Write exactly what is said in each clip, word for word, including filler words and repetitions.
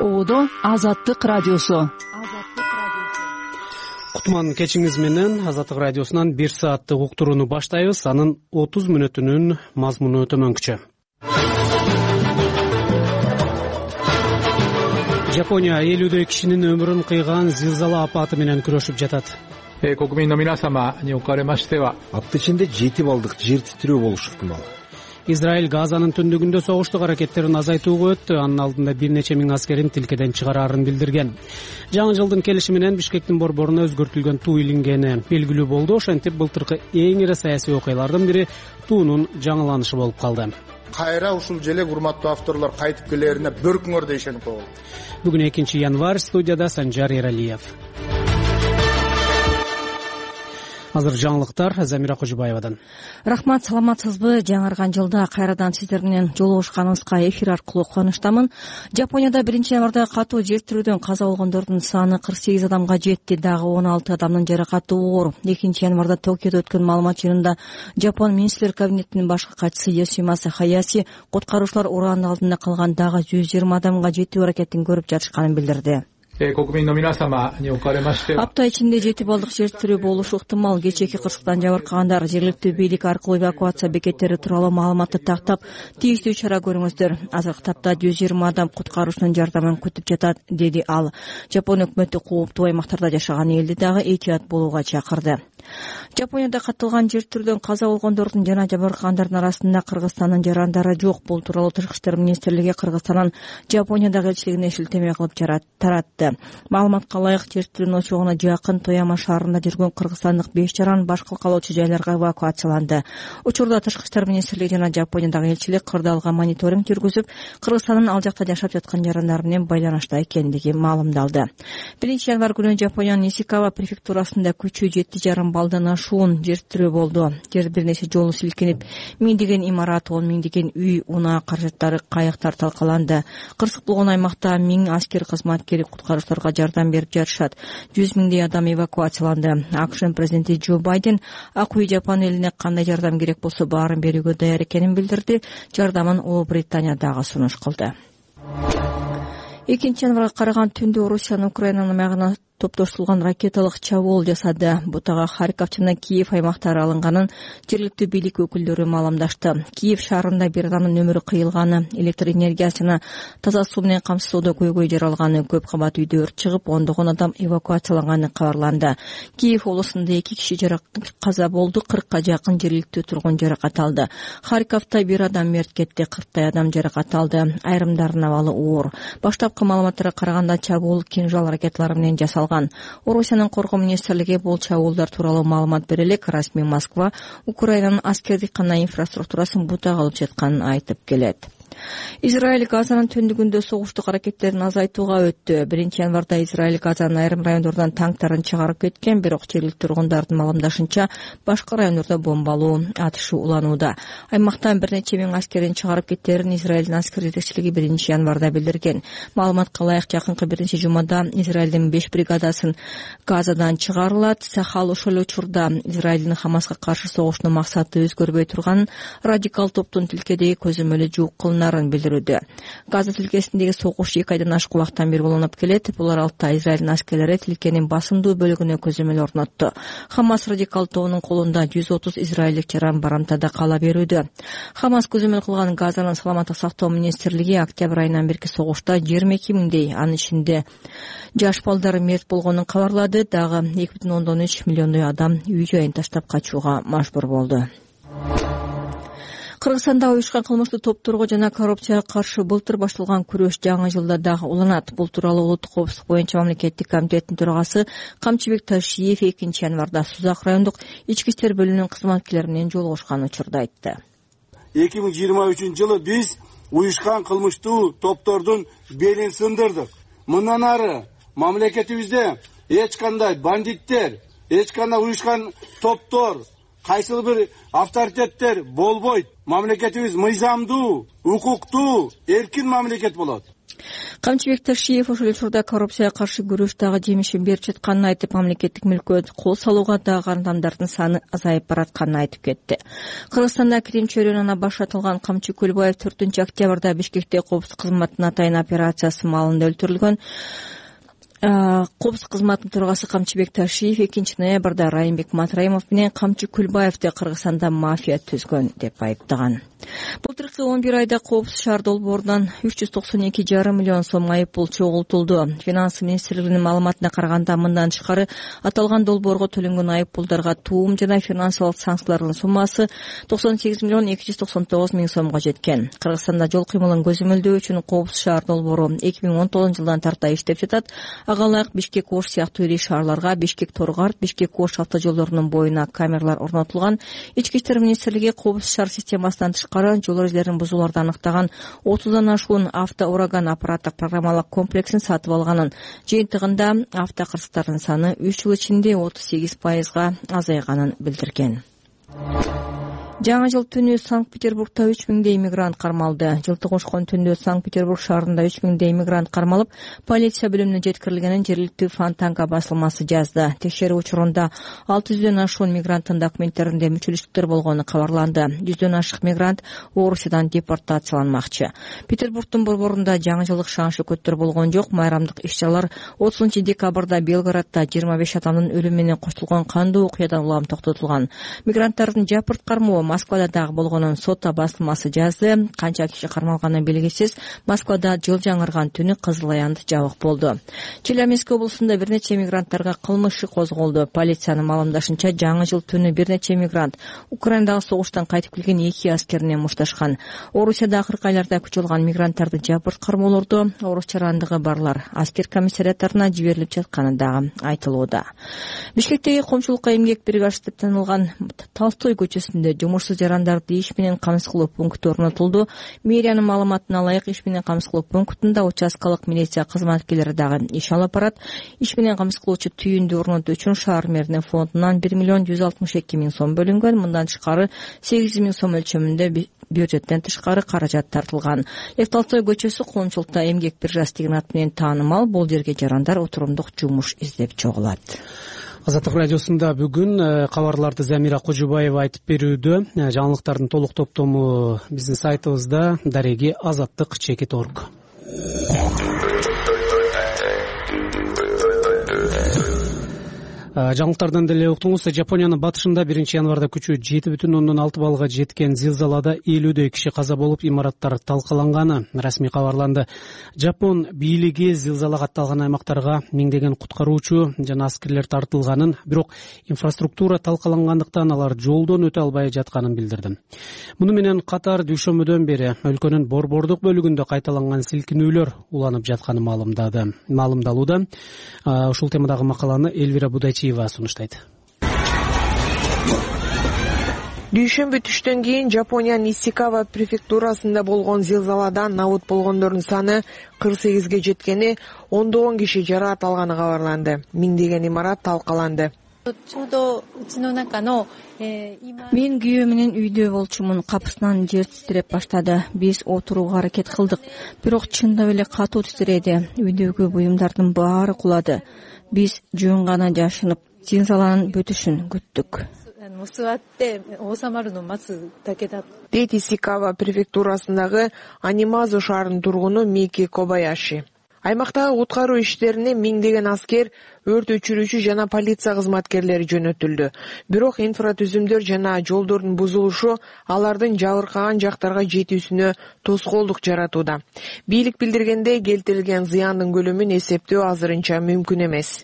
Ободо Азаттык радиосу. Кутман кечиңиз менен Азаттык радиосунан бир сааттык уктурууну баштайбыз. Анын отуз мүнөтүнүн мазмуну төмөнкүчө. Жапония элүүдөй кишинин өмүрүн кыйган зилзала апаты менен күрөшүп жатат. 国民の皆様におかれましては апта ичинде жети балдык жер титирөө болушу ыктымал. Израиль Газанын түндүгүндө согуштук аракеттерин азайтууга өттү. Анын алдында бир нече миң аскерин тилкеден чыгараарын билдирген. Жаңы жылдын келиши менен Бишкектин борборуна өзгөртүлгөн туу илингени белгилүү болду. Ошентип былтыркы эң ири саясий окуялардын бири туунун жаңыланышы болуп калды. Кайра ушул желе урматтуу авторлор кайтып келерине бөркүңөрдө ишенип койгула. Бүгүн экинчи январь, студияда Санжар Эралиев. Азыр жаңылыктар Замира Кожубаевадан. Рахмат, саламатсызбы? Жаңырган жылда кайрадан сиздер менен жолугушканыбызга эфир аркылуу кубанычтамын. Жапонияда биринчи январда катуу жер тирүүдөн каза болгондордун саны кырк сегиз адамга жетти. Дагы он алты адамдын жаракаты оор. экинчи январда Токиодо өткөн маалымат жыйынында Жапон министрлер кабинетинин башкы катчысы Йосимаса Хаяси куткаруучулар ураандын алдында калган дагы жүз жыйырма адамга жетүү аракетин көрүп жатышканын билдирди. 国民の皆様におかれましては апта ичинде жети балдык жер тирөө болушу ыктымал. Кечээки кырсыктан жабыркагандар жергиликтүү бийлик аркылуу эвакуация бекеттери тууралуу маалыматты тактап, тийиштүү чара көрүңүздөр. Азыркы тапта жүз жыйырма адам куткаруучунун жардамын күтүп жатат, деди ал. Жапон өкмөтү кооптуу аймактарда жашаган элди дагы этият болууга чакырды. Жапонияда катталган жер тирүүдөн каза болгондордун жана жабыркагандардын арасында Кыргызстандын жарандары жок. Бул тууралуу Тышкы иштер министрлиги Кыргызстандын Жапониядагы элчилигине шилтеме кылып таратты. Маалыматка ылайык, жер тирүүнүн очогуна жакын Тояма шаарында жүргөн кыргызстандык беш жаран башка калоочу жайларга эвакуацияланды. Учурда Тышкы иштер министрлиги жана Жапониядагы элчилик кырдаалга мониторинг жүргүзүп, Кыргызстандын ал жакта жашап жаткан жарандар менен байланышта экендиги маалымдалды. биринчи январь күнү Жапониянын Исикава префектурасында күчү жети жарым балдан ашуун жер тирөө болду. Жер бир нече жолу силкинип, миңдеген имарат, он миңдеген үй, унаа, каражаттары, кайыктар талкаланды. Кырсык болгон аймакта миң аскер кызматкери куткаруучуларга жардам берип жатышат. жүз миңдей адам эвакуацияланды. АКШ президенти Джо Байден Ак үй Жапон элине кандай жардам керек болсо баарын берүүгө даяр экенин билдирди. Жардамын Улуу Британия дагы сунуш кылды. экинчи январга караган түндө Орусиянын Украинанын аймагына топтоштурулган ракеталык чабуул жасады. Бутага Харьков жана Киев аймактары алынганын жергиликтүү бийлик өкүлдөрү маалымдашты. Киев шаарында бир адамдын өмүрү кыйылганы, электр энергиясы жана таза суу менен камсыздоодо көйгөй жаралганы, көп кабат үйдө өрт чыгып, ондогон адам эвакуацияланганы кабарланды. Киев облусунда эки киши каза болду, кыркка жакын жергиликтүү тургун жаракат алды. Харьковдо бир адам мерт кетти, кырктай адам жаракат алды. Айрымдарынын абалы оор. Баштапкы маалыматтарга караганда чабуул кинжал ракеталары менен жасалган. Орусиянын коргоо министрлиги бул чабуулдар тууралуу маалымат бере элек. Расмий Москва Украинанын аскердик жана инфраструктурасын бутак алып жатканын айтып келет. Израиль Газанын түндүгүндө согуштук аракеттерин азайтууга өттү. биринчи январда Израиль Газанын айрым райондордон танктарын чыгарып кеткен, бирок жергиликтүү тургундардын маалымдашынча башка райондордо бомбалуу атышы уланууда. Аймактан бир нече миң аскерин чыгарып кеттерин Израилдин аскер жетекчилиги биринчи январда билдирген. Маалыматка ылайык, жакынкы биринчи жумада Израилдин беш бригадасын Газадан чыгарылат. Сахал ошол учурда Израилдин Хамаска каршы согушунун максаты өзгөрбөй турганын, радикал топтун тилкедеги көзөмөлү жуук кылынарын билдирүүдө. Газа тилкесиндеги согуш эки айдан ашык убакыттан бери уланып келет. Бул аралыкта Израилдин аскерлери тилкенин басымдуу бөлүгүнө көзөмөл орнотту. Хамас радикал тобунун колунда жүз отуз израилдик жаран барымтада кала берүүдө. Хамас көзөмөл кылган Газанын саламаттык сактоо министрлиги октябрь айынан берки согушта жыйырма эки миңдей, анын ичинде жаш балдар мерт болгонун кабарлады. Дагы эки бүтүн ондон үч миллиондой адам үй жайын таштап качууга мажбур болду. Кыргызстанда уюшкан кылмыштуу топторго жана коррупцияга каршы былтыр башталган күрөш жаңы жылда дагы уланат. Бул тууралуу Улуттук коопсуздук боюнча мамлекеттик комитеттин төрагасы Камчыбек Ташиев экинчи январда Сузак райондук ички иштер бөлүмүнүн кызматкерлери менен жолугушкан учурда айтты. эки миң жыйырма үчүнчү жылы биз уюшкан кылмыштуу топтордун белин сындырдык. Мындан ары мамлекетибизде эч кандай бандиттер, эч кандай уюшкан топтор, кайсыл бир авторитеттер болбойт. Мамлекетибиз мыйзамдуу, укуктуу, эркин мамлекет болот. Камчыбек Ташиев ошол учурда коррупцияга каршы күрөш дагы жемишин берип жатканын айтып, мамлекеттик мүлккө кол салууга дагы адамдардын саны азайып баратканын айтып кетти. Кыргызстанда Крим чөйрөнүнөн башталган Камчы Көлбаев төртүнчү октябрда Бишкекте коопсуздук кызматынын атайын операциясы маалында өлтүрүлгөн. Коопсуздук кызматынын төрагасы Камчыбек Ташиев экинчи ноябрда Райымбек Матраимов менен Камчы Көлбаевди Кыргызстанда мафия түзгөн деп айыптаган. Былтыркы он бир айда Коопсуз шаар долбоорунан үч жүз токсон эки жарым миллион сом айып пул чогултулду. Финанс министрлигинин маалыматына караганда, мындан тышкары аталган долбоорго төлөнгөн айып пулдарга туум жана финансылык санкциялардын суммасы токсон сегиз миллион эки жүз токсон тогуз миң сомго жеткен. Кыргызстанда жол кыймылын көзөмөлдөө үчүн Коопсуз шаар долбоору эки миң он тогузунчу жылдан тарта иштеп жатат. Ага ылайык Бишкек Ош сыяктуу ири шаарларга Бишкек Торгарт, Бишкек Ош автожолдорунун боюна камералар орнотулган. Ички иштер министрлиги Коопсуз шаар системасынан тышкары жол эрежелерин бузууларды аныктаган отуздан ашуун автоураган аппараттык программалык комплексин сатып алганын, жыйынтыгында автокырсыктардын саны үч жыл ичинде отуз сегиз пайызга азайганын билдирген. Жаңы жыл түнү Санкт-Петербургда үч миңдей иммигрант кармалды. Жылтык ошкон түндө Санкт-Петербург шаарында үч миңдей иммигрант кармалып, полиция бөлүмүнө жеткирилгенин жергиликтүү Фонтанка басылмасы жазды. Текшерүү учурунда алты жүздөн ашуун мигранттын документтеринде мүчүлүштүктөр болгону кабарланды. жүздөн ашык мигрант Орусиядан депортацияланмакчы. Петербургдун борборунда жаңы жылдык шаан-шөкөттөр болгон жок. Майрамдык иш-чаралар отузунчу декабрда Белградда жыйырма беш адамдын өлүмү менен коштолгон кандуу окуядан улам токтотулган. Мигранттардын жапырт кармоо Москвада дагы болгонун Сота басылмасы жазды. Канча киши кармалганы белгисиз. Москвада жыл жаңырган түнү кызыл аянт жабык болду. Челябинск облусунда бир нече мигранттарга кылмыш иши козголду. Полициянын маалымдашынча, жаңы жыл түнү бир нече мигрант Украинадагы согуштан кайтып келген эки аскерине мушташкан. Орусияда акыркы айларда күч алган мигранттарды жапырт кармоолорду орус жарандыгы барлар аскер комиссариаттарына жиберилип жатканы дагы айтылууда. Бишкектеги коомчулукка эмгек бригадасы деп танылган Толстой көчөсүндө жумуш жарандарды иш менен камсыз кылуу пункту орнотулду. Мэриянын маалыматына ылайык, иш менен камсыз кылуу пунктунда участкалык милиция кызматкерлери дагы иш алып барат. Иш менен камсыз кылуучу түйүндү орнотуу үчүн шаар мэринин фондунан бир миллион жүз алтымыш эки миң сом бөлүнгөн. Мындан тышкары сегиз жүз миң сом өлчөмүндө бюджеттен тышкары каражат тартылган. Лев Толстой көчөсү коомчулукта эмгек биржасы деген ат менен таанымал. Бул жерге жарандар отурумдук жумуш издеп чогулат. Азаттык радиосунда бүгүн кабарларды Замира Кожубаева айтып берүүдө. Жаңылыктардын толук топтому биздин сайтыбызда дареги азаттык чекит точка орг. Жаңылыктардан деле уктуңуз. Жапониянын батышында биринчи январда күчү жети бүтүн ондон алты баллга жеткен зилзалада элүүдөй киши каза болуп, имараттар талкаланганы расмий кабарланды. Жапон бийлиги зилзала катталган аймактарга миңдеген куткаруучу жана аскерлер тартылганын, бирок инфраструктура талкалангандыктан алар жолдон өтө албай жатканын билдирди. Муну менен катар дүйшөмбөдөн бери өлкөнүн борбордук бөлүгүндө кайталанган силкинүүлөр уланып жатканы маалымдады. Маалымдалууда. Ушул темадагы макаланы Эльвира Будайчиева сунуштайт. Дүйшөмбү түштөн кийин Жапониянын Исикава префектурасында болгон зилзаладан набут болгондордун саны кырк сегизге жеткени, ондогон киши жараат алганы кабарланды. Миңдеген имарат талкаланды. Мен күйөө менен үйдө болчумун. Капысынан жер титиреп баштады. Биз отурууга аракет кылдык, бирок чындап эле катуу титиреди. Үйдөгү буюмдардын баары кулады. Биз жөн гана жашынып, зилзаланын бүтүшүн күттүк. Дейт Исикава префектурасындагы Анимазу шаарынын тургуну Мики Кобаяши. Аймактагы куткаруу иштерине миңдеген аскер, өрт өчүрүүчү жана полиция кызматкерлери жөнөтүлдү. Бирок инфратүзүмдөр жана жолдордун бузулушу алардын жабыркаган жактарга жетүүсүнө тоскоолдук жаратууда. Бийлик билдиргендей, келтирилген зыяндын көлөмүн эсептөө азырынча мүмкүн эмес.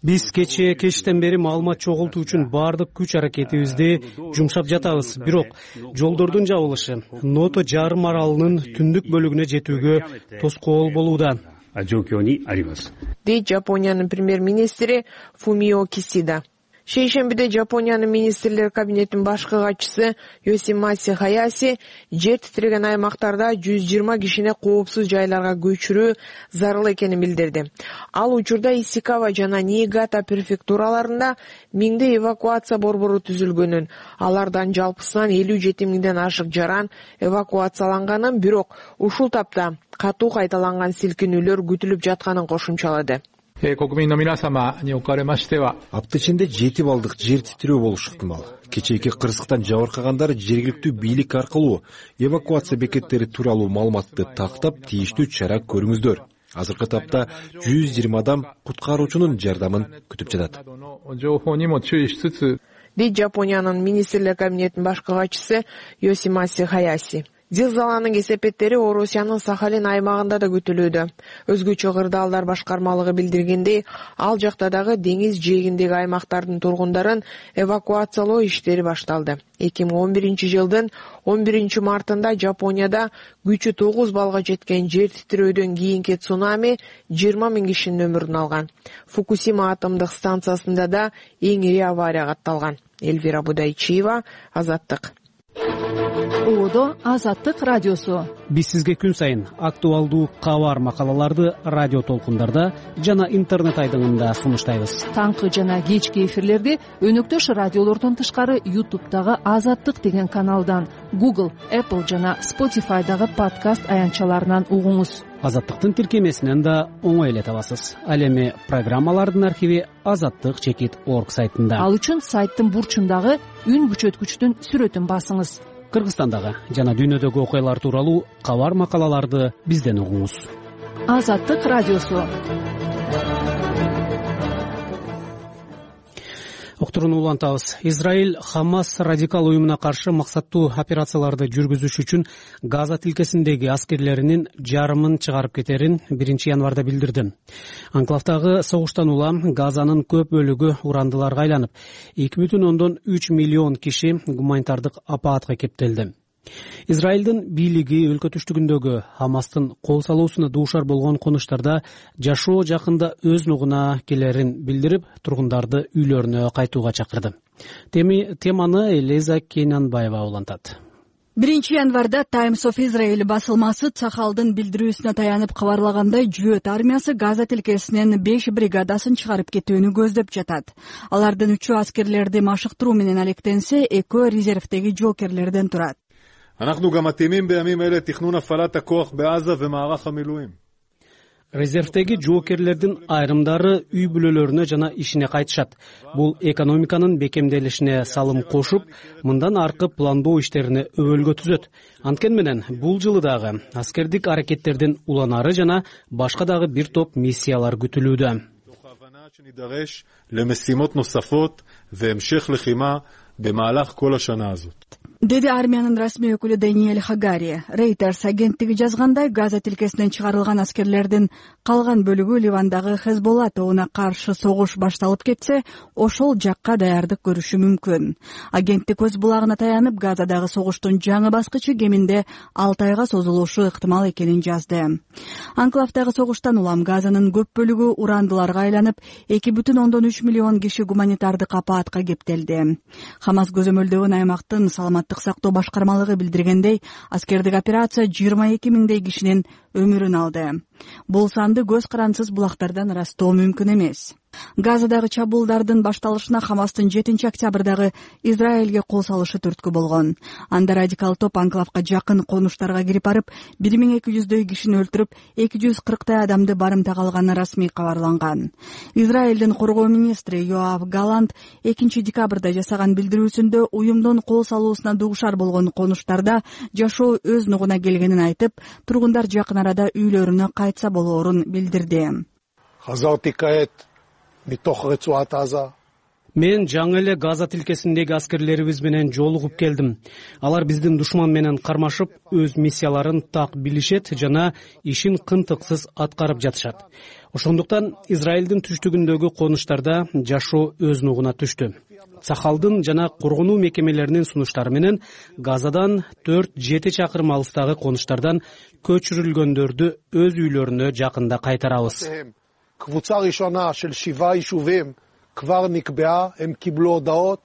Биз кечээ кечтен бери маалымат чогултуу үчүн баардык күч аракетибизди жумшап жатабыз. Бирок жолдордун жабылышы Ното жарым аралынын түндүк бөлүгүнө жетүүгө тоскоол болууда. Дейт Жапониянын премьер-министри Фумио Кисида. Шейшембиде Жапониянын министрлер кабинетинин башкы катчысы Йосимаси Хаяси жер титиреген аймактарда жүз жыйырма кишини коопсуз жайларга көчүрүү зарыл экенин билдирди. Ал учурда Исикава жана Ниигата префектураларында миңдей эвакуация борбору түзүлгөнүн, алардан жалпысынан элүү жети миңден ашык жаран эвакуацияланганын, бирок ушул тапта катуу кайталанган силкинүүлөр күтүлүп жатканын кошумчалады. Апта ичинде жети балдык жер титирөө болушу ыктымал. Кечээки кырсыктан жабыркагандар жергиликтүү бийлик аркылуу эвакуация бекеттери тууралуу маалыматты тактап, тийиштүү чара көрүңүздөр. Азыркы тапта жүз жыйырма адам куткаруучунун жардамын күтүп жатат. Дейт Жапониянын министрлер кабинетинин башкы катчысы Йосимаси Хаяси. Зилзаланын кесепеттери Орусиянын Сахалин аймагында да күтүлүүдө. Өзгөчө кырдаалдар башкармалыгы билдиргендей, ал жакта дагы деңиз жээгиндеги аймактардын тургундарын эвакуациялоо иштери башталды. эки миң он биринчи жылдын он биринчи мартында Жапонияда күчү тогуз балга жеткен жер титирөөдөн кийинки цунами жыйырма миң кишинин өмүрүн алган. Фукусима атомдук станциясында да эң ири авария катталган. Эльвира Будайчиева, Азаттык. Оодо Азаттык радиосу. Биз сизге күн сайын актуалдуу кабар макалаларды радио толкундарда жана интернет айдыңында сунуштайбыз. Таңкы жана кечки эфирлерди өнөктөш радиолордон тышкары YouTube'дагы Азаттык деген каналдан, Google, Apple жана Spotify'дагы подкаст аянтчаларынан угуңуз. Азаттыктын тиркемесинен да оңой эле табасыз. Ал эми программалардын архиви азаттык чекит точка орг сайтында. Ал үчүн сайттын бурчундагы үн күчөткүчтүн сүрөтүн басыңыз. Кыргызстандагы жана дүйнөдөгү окуялар тууралуу кабар макалаларды бизден угуңуз. Азаттык радиосу. Октуруну улантабыз. Израиль Хамас радикал уюмуна каршы максаттуу операцияларды жүргүзүш үчүн Газа тилкесиндеги аскерлеринин жарымын чыгарып кетерин биринчи январда билдирди. Анклавдагы согуштан улам Газанын көп бөлүгү урандыларга айланып, эки бүтүн ондон үч миллион киши гуманитардык апаатка кептелди. Израилдин бийлиги өлкө түштүгүндөгү Хамастын кол салуусуна дуушар болгон конуштарда жашоо жакында өз нугуна келерин билдирип, тургундарды үйлөрүнө кайтууга чакырды. Теманы Элиза Кенанбаева улантат. биринчи январда Times of Israel басылмасы Цахалдын билдирүүсүнө таянып кабарлагандай, Жүйөт армиясы Газа тилкесинен беш бригадасын чыгарып кетүүнү көздөп жатат. Алардын үчөө аскерлерди машыктыруу менен алектенсе, экөө резервдеги жокерлерден турат. אנחנו גם מתאימים בימים אלה תכנון הפעלת הכוח בעזה ומערך המילואים. Резервдеги жоокерлердин айрымдары үй бүлөлөрүнө жана ишине кайтышат. Бул экономиканын бекемделишине салым кошуп, мындан аркы пландоо иштерине өбөлгө түзөт. Анткени менен бул жылы дагы аскердик аракеттердин уланары жана башка дагы бир топ миссиялар күтүлүүдө. שנידרש למשימות נוספות והמשך לחימה במהלך כל השנה הזאת. Деди армиянын расмий өкүлү Даниэль Хагари. Reuters агенттиги жазгандай, Газа тилкесинен чыгарылган аскерлердин калган бөлүгү Ливандагы Хезболла тобуна каршы согуш башталып кетсе, ошол жакка даярдык көрүшү мүмкүн. Агенттик өз булагына таянып, Газадагы согуштун жаңы баскычы кеминде алты айга созулушу ыктымал экенин жазды. Анклавдагы согуштан улам Газанын көп бөлүгү урандыларга айланып, эки бүтүн ондон үч миллион киши гуманитардык апаатка кептелди. Хамас көзөмөлдөгөн аймактын саламаттык сактоо башкармалыгы билдиргендей, аскердик операция жыйырма эки миңдей кишинин өмүрүн алды. Бул санды көз карансыз булактардан ырастоо мүмкүн эмес. Газадагы чабуулдардын башталышына Хамастын жетинчи октябрдагы Израилге кол салышы түрткү болгон. Анда радикал топ анклавга жакын конуштарга кирип барып, бир миң эки жүздөй кишини өлтүрүп, эки жүз кырктай адамды барымтага алганы расмий кабарланган. Израилдин коргоо министри Йоав Галант экинчи декабрда жасаган билдирүүсүндө уюмдун кол салуусуна дуушар болгон конуштарда жашоо өз нугуна келгенин айтып, тургундар жакын арада үйлөрүнө кайтса болоорун билдирди. Мен жаңы эле Газа тилкесиндеги аскерлерибиз менен жолугуп келдим. Алар биздин душман менен кармашып, өз миссияларын так билишет жана ишин кынтыксыз аткарып жатышат. Ошондуктан Израилдин түштүгүндөгү конуштарда жашоо өз нугуна түштү. Сахалдын жана коргонуу мекемелеринин сунуштары менен Газадан төрт жети чакырым алыстагы конуштардан көчүрүлгөндөрдү өз үйлөрүнө жакында кайтарабыз. קבוצה ראשונה של שבעה יישובים כבר נקבעה, הם קיבלו הודעות.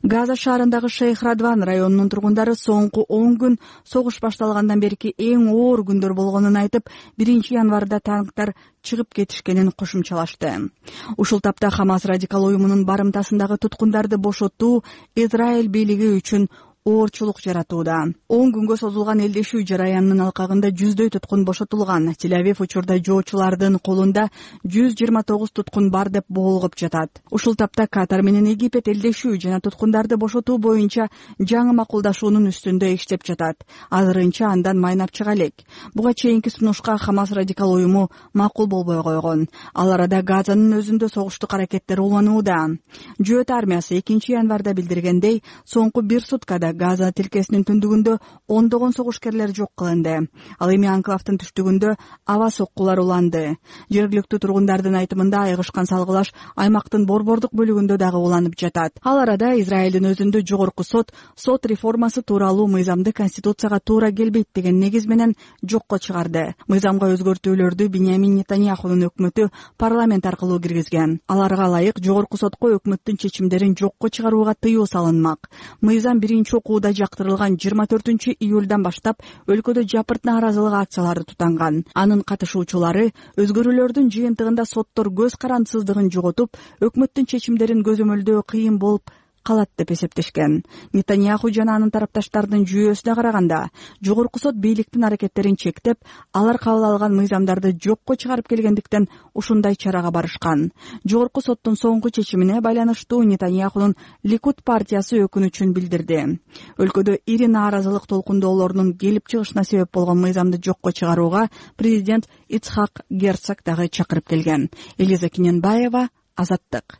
Газа шаарындагы Шейх Радван районунун тургундары соңку он күн согуш башталгандан берки эң оор күндөр болгонун айтып, биринчи январда танктар чыгып кетишкенин кошумчалашты. Ушул тапта Хамас радикал уюмунун барымтасындагы туткундарды бошотуу Израиль бийлиги үчүн оорчулук жаратууда. он күнгө созулган элдешүү жараянынын алкагында жүздөй туткун бошотулган. Тель-Авив учурда жоочулардын колунда жүз жыйырма тогуз туткун бар деп боолгоп жатат. Ушул тапта Катар менен Египет элдешүү жана туткундарды бошотуу боюнча жаңы макулдашуунун үстүндө иштеп жатат. Азырынча андан майнап чыга элек. Буга чейинки сунушка Хамас радикал уюму макул болбой койгон. Ал арада Газанын өзүндө согуштук аракеттер уланууда. Жөөт армиясы экинчи январда билдиргендей, соңку бир суткада Газа тилкесинин түндүгүндө ондогон согушкерлер жок кылынды. Ал эми анклавдын түштүгүндө аба соккулар уланды. Жергиликтүү тургундардын айтымында айгышкан салгылаш аймактын борбордук бөлүгүндө дагы уланып жатат. Ал арада Израилдин өзүндө жогорку сот сот реформасы тууралуу мыйзамды конституцияга туура келбейт деген негиз менен жокко чыгарды. Мыйзамга өзгөртүүлөрдү Биньямин Нетаньяхунун өкмөтү парламент аркылуу киргизген. Аларга ылайык жогорку сотко өкмөттүн чечимдерин жокко чыгарууга тыюу салынмак. Мыйзам биринчи окууда жактырылган жыйырма төртүнчү июлдан баштап өлкөдө жапырт нааразылык акциялары тутанган. Анын катышуучулары өзгөрүүлөрдүн жыйынтыгында соттор көз карандысыздыгын жоготуп, өкмөттүн чечимдерин көзөмөлдөө кыйын болуп калат деп эсептешкен. Нетаньяху жана анын тарапташтардын жүйөсүнө караганда, жогорку сот бийликтин аракеттерин чектеп, алар кабыл алган мыйзамдарды жокко чыгарып келгендиктен ушундай чарага барышкан. Жогорку соттун соңку чечимине байланыштуу Нетаньяхунун Ликуд партиясы өкүнүчүн билдирди. Өлкөдө ири нааразылык толкундоолорунун келип чыгышына себеп болгон мыйзамды жокко чыгарууга президент Ицхак Герцог дагы чакырып келген. Элиза Киненбаева, Азаттык.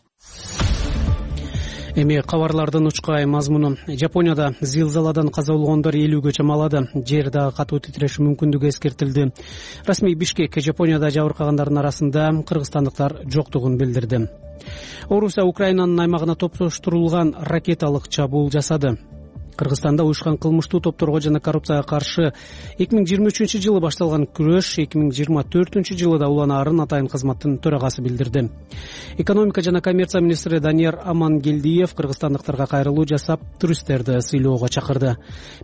Эми кабарлардын учкай мазмуну. Жапонияда зилзаладан каза болгондор элүүгө чамалады. Жер дагы катуу титреши мүмкүндүгү эскертилди. Расмий Бишкек Жапонияда жабыркагандардын арасында кыргызстандыктар жоктугун билдирди. Орусия Украинанын аймагына топтоштурулган ракеталык чабуул жасады. Кыргызстанда уюшкан кылмыштуу топторго жана коррупцияга каршы эки миң жыйырма үчүнчү жылы башталган күрөш эки миң жыйырма төртүнчү жылы да уланаарын Атайын кызматтын төрагасы билдирди. Экономика жана коммерция министри Данияр Амангелдиев кыргызстандыктарга кайрылуу жасап, туристтерди сыйлоого чакырды.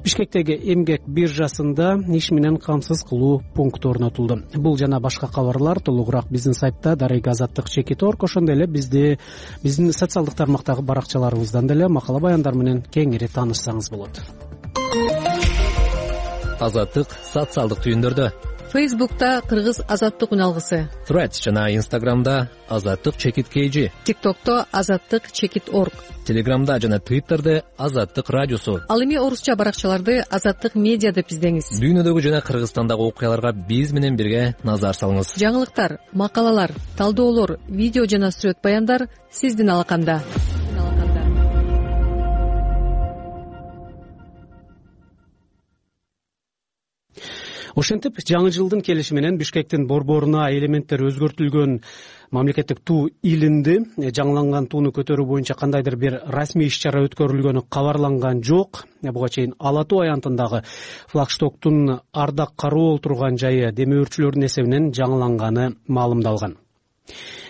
Бишкектеги эмгек биржасында иш менен камсыз кылуу пункту орнотулду. Бул жана башка кабарлар толугураак биздин сайтта Дарыга Азаттык чекит орг, ошондой эле бизди биздин социалдык тармактагы баракчаларыбыздан деле макала баяндар менен кеңири таанышсаңыз болот. Азаттык социалдык түйүндөрдө. Фейсбукта Кыргыз Азаттык үналгысы. Threads жана Инстаграмда Азаттык чекит kg. ТикТокто Азаттык чекит орг. Телеграмда жана Твиттерде Азаттык радиосу. Ал эми орусча баракчаларды Азаттык медиа деп издеңиз. Дүйнөдөгү жана Кыргызстандагы окуяларга биз менен бирге назар салыңыз. Жаңылыктар, макалалар, талдоолор, видео жана сүрөт баяндар сиздин алаканда. Ошентип, жаңы жылдын келиши менен Бишкектин борборуна элементтер өзгөртүлгөн мамлекеттик туу илинди. Жаңыланган тууну көтөрүү боюнча кандайдыр бир расмий иш-чара өткөрүлгөнү кабарланган жок. Буга чейин Ала Тоо аянтындагы флагштоктун ардак кароо турган жайы демөөрчүлөрдүн эсебинен жаңыланганы маалымдалган.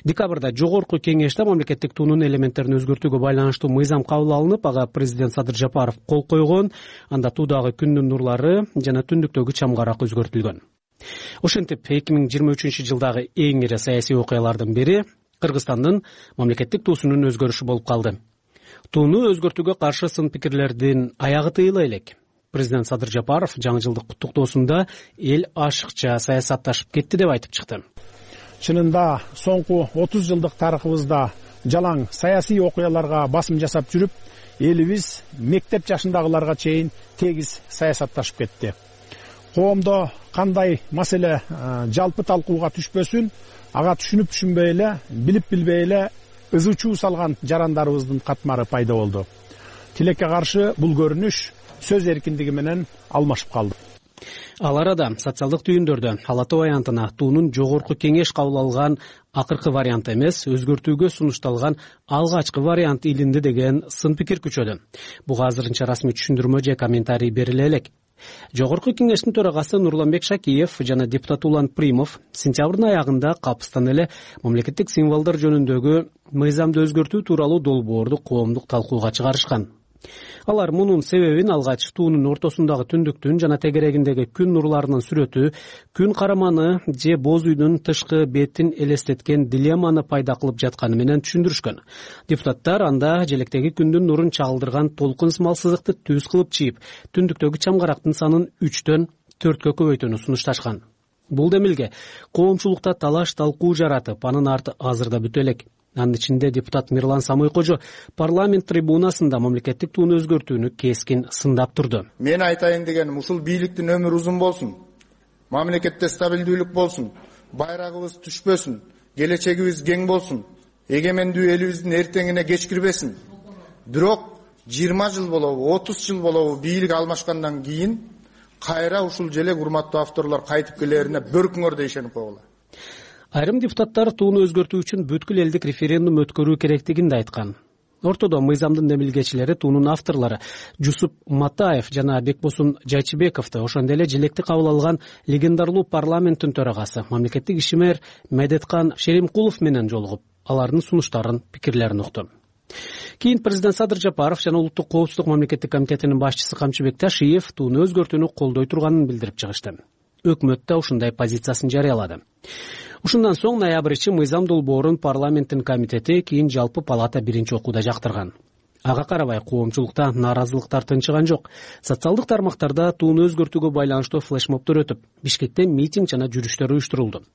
Декабрда жогорку кеңеште мамлекеттик туунун элементтерин өзгөртүүгө байланыштуу мыйзам кабыл алынып, ага президент Садыр Жапаров кол койгон. Анда туудагы күндүн нурлары жана түндүктөгү чамгарак өзгөртүлгөн. Ошентип, эки миң жыйырма үчүнчү жылдагы эң ири саясий окуялардын бири Кыргызстандын мамлекеттик туусунун өзгөрүшү болуп калды. Тууну өзгөртүүгө каршы сын пикирлердин аягы тыйыла элек. Президент Садыр Жапаров жаңы жылдык куттуктоосунда эл ашыкча саясатташып кетти деп айтып чыкты. Чынында соңку отуз жылдык тарыхыбызда жалаң саясий окуяларга басым жасап жүрүп, элибиз мектеп жашындагыларга чейин тегиз саясатташып кетти. Коомдо кандай маселе жалпы талкууга түшпөсүн, ага түшүнүп түшүнбөй эле, билип билбей эле ызы чуу салган жарандарыбыздын катмары пайда болду. Тилекке каршы бул көрүнүш сөз эркиндиги менен алмашып калды. Ал арада социалдык түйүндөрдө Ала Тоо аянтына туунун жогорку кеңеш кабыл алган акыркы вариант эмес, өзгөртүүгө сунушталган алгачкы вариант илинди деген сын пикир күчөдү. Буга азырынча расмий түшүндүрмө же комментарий бериле элек. Жогорку кеңештин төрагасы Нурланбек Шакиев жана депутат Улан Примов сентябрдын аягында капыстан эле мамлекеттик символдор жөнүндөгү мыйзамды өзгөртүү тууралуу долбоорду коомдук талкууга чыгарышкан. Алар мунун себебин алгач туунун ортосундагы түндүктүн жана тегерегиндеги күн нурларынын сүрөтү, күн караманы же боз үйдүн тышкы бетин элестеткен дилемманы пайда кылып жатканы менен түшүндүрүшкөн. Депутаттар анда желектеги күндүн нурун чагылдырган толкун сымал сызыкты түз кылып чийип, түндүктөгү чамгарактын санын үчтөн төрткө көбөйтүүнү сунушташкан. Бул демилге коомчулукта талаш талкуу жаратып, анын арты азырда бүтө элек. Анын ичинде депутат Мирлан Самойкожо парламент трибунасында мамлекеттик тууну өзгөртүүнү кескин сындап турду. Мен айтайын дегеним, ушул бийликтин өмүрү узун болсун, мамлекетте стабилдүүлүк болсун, байрагыбыз түшпөсүн, келечегибиз кең болсун, эгемендүү элибиздин эртеңине кечкирбесин. Бирок жыйырма жыл болобу, отуз жыл болобу бийлик алмашкандан кийин кайра ушул желе урматтуу авторлор кайтып келерине бөркүңөр деп ишенип койгула. Айрым депутаттар тууну өзгөртүү үчүн бүткүл элдик референдум өткөрүү керектигин да айткан. Ортодо мыйзамдын демилгечилери туунун авторлору Жусуп Матаев жана Бекбосун Жайчыбековду, ошондой эле желекти кабыл алган легендарлуу парламенттин төрагасы мамлекеттик ишмер Медеткан Шеримкулов менен жолугуп, алардын сунуштарын, пикирлерин укту. Кийин президент Садыр Жапаров жана улуттук коопсуздук мамлекеттик комитетинин башчысы Камчыбек Ташиев тууну өзгөртүүнү колдой турганын билдирип чыгышты. Өкмөт да ушундай позициясын жарыялады. Ушундан соң ноябрчы мыйзам долбоорун парламенттин комитети, кийин жалпы палата биринчи окууда жактырган. Ага карабай коомчулукта нааразылыктар тынчыган жок. Социалдык тармактарда тууну өзгөртүүгө байланыштуу флешмобдор өтүп, Бишкекте митинг жана жүрүштөр уюштурулду.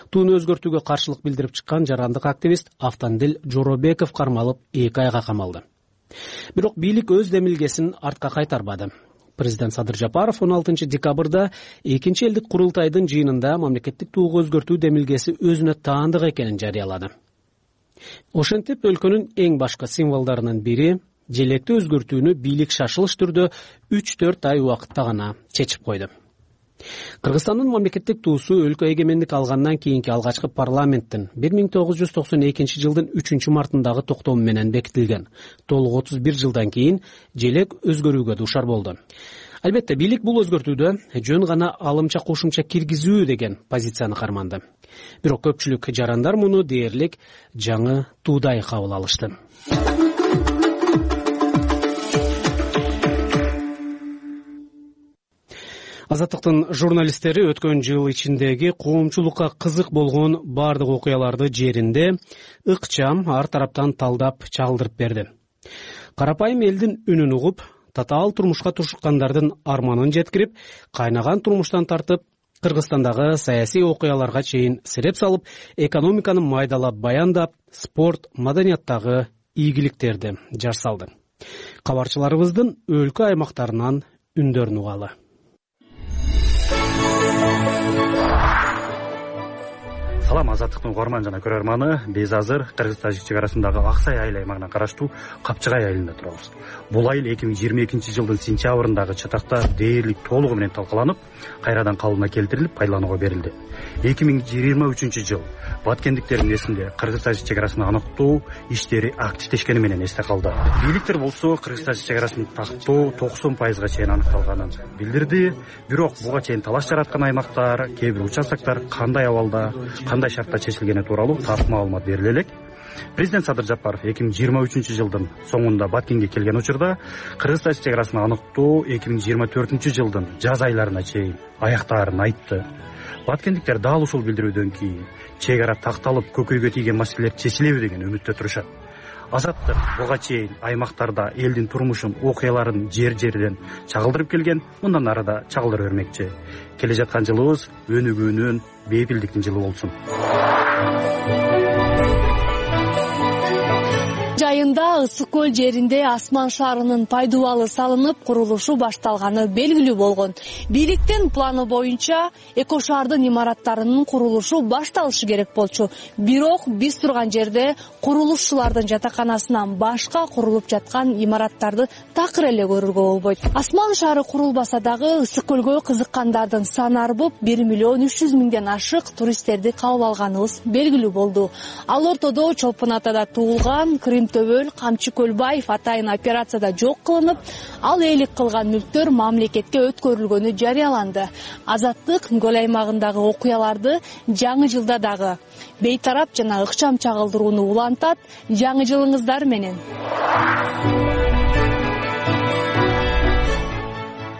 Тууну өзгөртүүгө каршылык билдирип чыккан жарандык активист Автандил Жоробеков кармалып эки айга камалды. Бирок бийлик өз демилгесин артка кайтарбады. Президент Садыр Жапаров он алтынчы декабрда экинчи элдик курултайдын жыйынында мамлекеттик тууга өзгөртүү демилгеси өзүнө таандык экенин жарыялады. Ошентип өлкөнүн эң башкы символдорунун бири желекти өзгөртүүнү бийлик шашылыш түрдө үч төрт ай убакытта гана чечип койду. Кыргызстандын мамлекеттик туусу өлкө эгемендик алгандан кийинки алгачкы парламенттин бир миң тогуз жүз токсон экинчи жылдын үчүнчү мартындагы токтому менен бекитилген. Толук отуз бир жылдан кийин желек өзгөрүүгө дуушар болду. Албетте, бийлик бул өзгөртүүдө жөн гана алымча кошумча киргизүү деген позицияны карманды. Бирок көпчүлүк жарандар муну дээрлик жаңы туудай кабыл алышты. Азаттыктын журналисттери өткөн жыл ичиндеги коомчулукка кызык болгон бардык окуяларды жеринде ыкчам ар тараптан талдап чагылдырып берди. Карапайым элдин үнүн угуп, татаал турмушка туршуккандардын арманын жеткирип, кайнаган турмуштан тартып, Кыргызстандагы саясий окуяларга чейин сереп салып, экономиканы майдалап баяндап, спорт, маданияттагы ийгиликтерди жар салды. Кабарчыларыбыздын өлкө аймактарынан үндөрүн угалы. Салам, Азаттыктын угарман жана көрөрманы. Биз азыр Кыргыз-Тажик чек арасындагы Аксай айыл аймагына караштуу Капчыгай айылында турабыз. Бул айыл эки миң жыйырма экинчи жылдын сентябрындагы чатакта дээрлик толугу менен талкаланып, кайрадан калыбына келтирилип, пайдаланууга берилди. эки миң жыйырма үчүнчү жыл баткендиктердин эсинде Кыргыз-Тажик чек арасын аныктоо иштери активдешкени менен эсте калды. Бийликтер болсо Кыргыз-Тажик чек арасын тактоо токсон пайызга чейин аныкталганын билдирди. Бирок буга чейин талаш жараткан аймактар, кээ бир участоктор кандай абалда, кандай шартта чечилгени тууралуу тартып маалымат бериле элек. Президент Садыр Жапаров эки миң жыйырма үчүнчү жылдын соңунда Баткенге келген учурда Кыргыз-Тажик чек арасын аныктоо эки миң жыйырма төртүнчү жылдын жаз айларына чейин аяктаарын айтты. Баткендиктер дал ушул билдирүүдөн кийин чек ара такталып көкөйгө тийген маселелер чечилеби деген үмүттө турушат. Азаттык буга чейин аймактарда элдин турмушун, окуяларын жер-жерден чагылдырып келген, мындан ары да чагылдыра бермекчи. Келе жаткан жылыбыз өнүгүүнүн, бейпилдиктин жылы болсун. Жайында Ысык көл жеринде Асман шаарынын пайдубалы салынып, курулушу башталганы белгилүү болгон. Бийликтин планы боюнча эко шаардын имараттарынын курулушу башталышы керек болчу. Бирок биз турган жерде курулушчулардын жатаканасынан башка курулуп жаткан имараттарды такыр эле көрүүгө болбойт. Асман шаары курулбаса дагы Ысык көлгө кызыккандардын саны арбып, бир миллион үч жүз миңден ашык туристтерди кабыл алганыбыз белгилүү болду. Ал ортодо Чолпон Атада туулган, Крым төбө Көлбөл, Камчы Көлбаев атайын операцияда жок кылынып, ал ээлик кылган мүлктөр мамлекетке өткөрүлгөнү жарыяланды. Азаттык көл аймагындагы окуяларды жаңы жылда дагы бейтарап жана ыкчам чагылдырууну улантат. Жаңы жылыңыздар менен.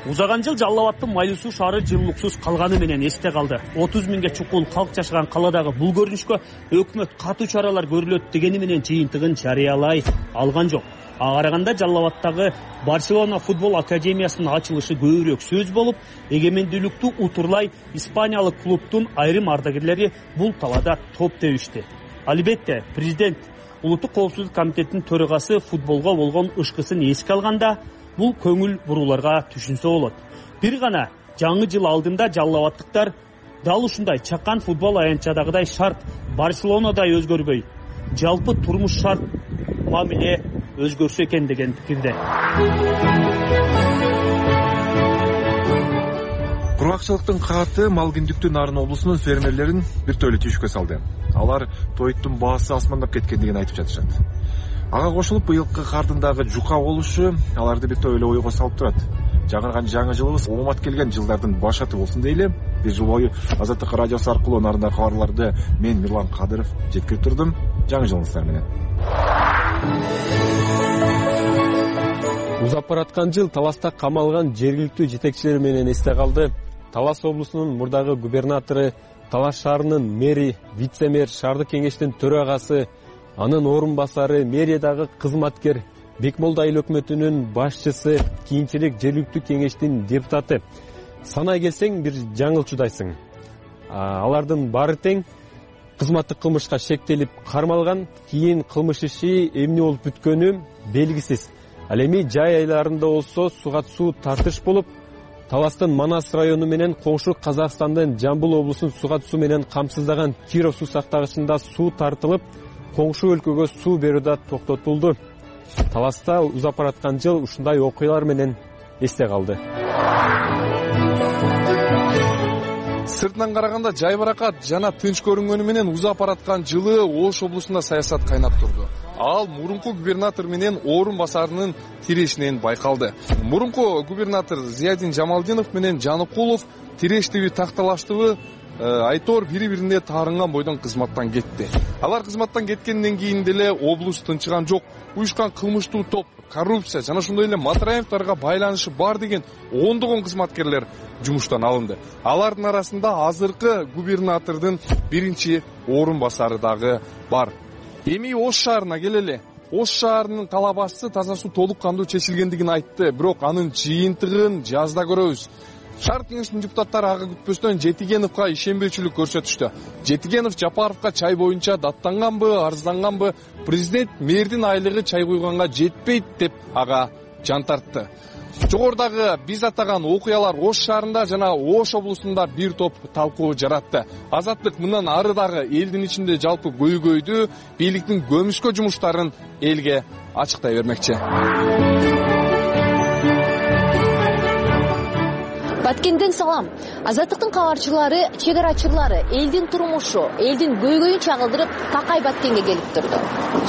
Узаган жыл Жалал Абадтын Майлуу Суу шаары жылуулуксуз калганы менен эсте калды. отуз миңге чукул калк жашаган каладагы бул көрүнүшкө өкмөт катуу чаралар көрүлөт дегени менен жыйынтыгын жарыялай алган жок. Ага караганда Жалал Абадтагы Барселона футбол академиясынын ачылышы көбүрөөк сөз болуп, эгемендүүлүктү утурлай испаниялык клубтун айрым ардагерлери бул талаада топ тебишти. Албетте, президент Улуттук коопсуздук комитетинин төрагасы футболго болгон ышкысын эске алганда, бул көңүл бурууларга түшүнсө болот. Бир гана жаңы жыл алдында Жалал Абадтыктар дал ушундай чакан футбол аянтчадагыдай шарт Барселонадай өзгөрбөй, жалпы турмуш шарт мамиле өзгөрсө экен деген пикирде. Кургакчылыктын кааты Малгиндүктүн Нарын облусунун фермерлерин бир тойлы түйшүккө салды. Алар тойттун баасы асмандап кеткен деген айтып жатышат. Ага кошулуп быйылкы кардын дагы жука болушу аларды бир тойлы ойго салып турат. Жаңырган жаңы жылыбыз оомат келген жылдардын башаты болсун дейле. Бир жыл бою Азаттык радиосу аркылуу нарындагы кабарларды мен Мирлан Кадыров жеткирип турдум. Жаңы жылыңыздар менен. Узап бараткан жыл Таласта камалган жергиликтүү жетекчилер менен эсте калды. Талас облусунун мурдагы губернатору, Талас шаарынын мэри, вице-мэр, шаардык кеңештин төрагасы, анын орун басары, мэриядагы кызматкер, Бекмолда айыл өкмөтүнүн башчысы, кийинчерээк жергиликтүү кеңештин депутаты. Санай келсең бир жаңылчудайсың. Алардын баары тең кызматтык кылмышка шектелип кармалган, кийин кылмыш иши эмне болуп бүткөнү белгисиз. Ал эми жай айларында болсо суга суу тартыш болуп, Таластын Манас району менен коңшу Казакстандын Жамбыл облусун суга суу менен камсыздаган Киров суу сактагычында суу тартылып, коңшу өлкөгө суу берүү да токтотулду. Таласта узап бараткан жыл ушундай окуялар менен эсте калды. Сыртынан караганда жайбаракат жана тынч көрүнгөнү менен узап бараткан жылы Ош облусунда саясат кайнап турду. Ал мурунку губернатор менен орун басарынын тирешинен байкалды. Мурунку губернатор Зиядин Жамалдинов менен Жаныкулов тирештиби такталаштыбы айтор бири-бирине таарынган бойдон кызматтан кетти. Алар кызматтан кеткенден кийин деле облус тынчыган жок. Уюшкан кылмыштуу топ, коррупция жана ошондой эле Матраевдарга байланышы бар деген ондогон кызматкерлер жумуштан алынды. Алардын арасында азыркы губернатордун биринчи орун басары дагы бар. Эми Ош шаарына келели. Ош шаарынын кала башчысы таза суу толук кандуу чечилгендигин айтты, бирок анын жыйынтыгын жазда көрөбүз. Шаар кеңешинин депутаттары ага күтпөстөн Жетигеновго ишенбөөчүлүк көрсөтүштү. Жетигенов Жапаровго чай боюнча даттанганбы, арызданганбы, президент мэрдин айлыгы чай куйганга жетпейт деп ага жан тартты. Жогорудагы биз атаган окуялар Ош шаарында жана Ош облусунда бир топ талкуу жаратты. Азаттык мындан ары дагы элдин ичинде жалпы көйгөйдү, бийликтин көмүскө жумуштарын элге ачыктай бермекчи. Баткенден салам. Азаттыктын кабарчылары, чегарачылары элдин турмушу, элдин көйгөйүн чагылдырып, такай Баткенге келип турду.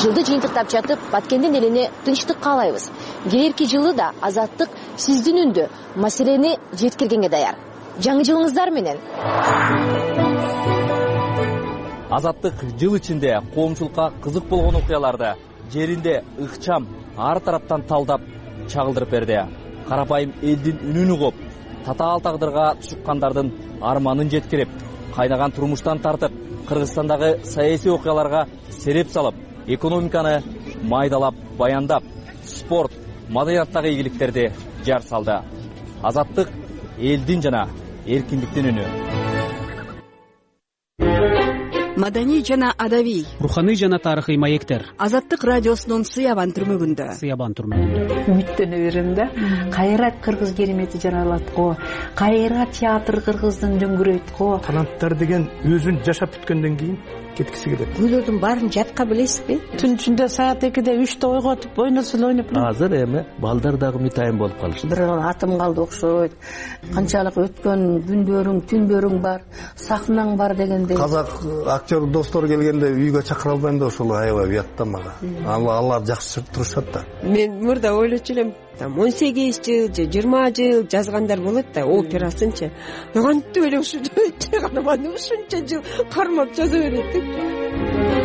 Жылды жыйынтыктап жатып, Баткендин элине тынчтык каалайбыз. Келерки жылы да Азаттык сиздин үндү маселени жеткиргенге даяр. Жаңы жылыңыздар менен. Азаттык жыл ичинде коомчулукка кызык болгон окуяларды жеринде ыкчам ар тараптан талдап чагылдырып берди. Карапайым элдин үнүн угуп, татаал тагдырга тушуккандардын арманын жеткирип, кайнаган турмуштан тартып, Кыргызстандагы саясий окуяларга сереп салып, экономиканы майдалап баяндап, спорт, маданияттагы ийгиликтерди жар салды. Азаттык элдин жана эркиндиктин үнү. Маданий жана адабий, руханий жана тарыхый маектер. Азаттык радиосунун Сыябан түрмөгүндө. Сыябан түрмөгүндө. Үмүттөнө берем да. Кайра кыргыз керемети жаралат го. Кайра театр кыргыздын дөңгүрөйт го. Таланттар деген өзүн жашап бүткөндөн кийин кеткиси келет. Күйлөрдүн баарын жатка билесизби? Түн ичинде саат экиде үчтө ойготуп, ойносун ойноп. Азыр эми балдар дагы митайым болуп калышты. Бир атым калды окшойт. Канчалык өткөн күндөрүң, түндөрүң бар, сахнаң бар дегендей. Казак актер достор келгенде үйгө чакыра албайм да, ошол аябай уят да мага. Алар жакшы турушат да. Мен мурда ойлочу элем, там он сегиз жыл же жыйырма жыл жазгандар болот да, операсынчы. Кантип эле ушунча гана маны ушунча жыл кармап жаза берет деп.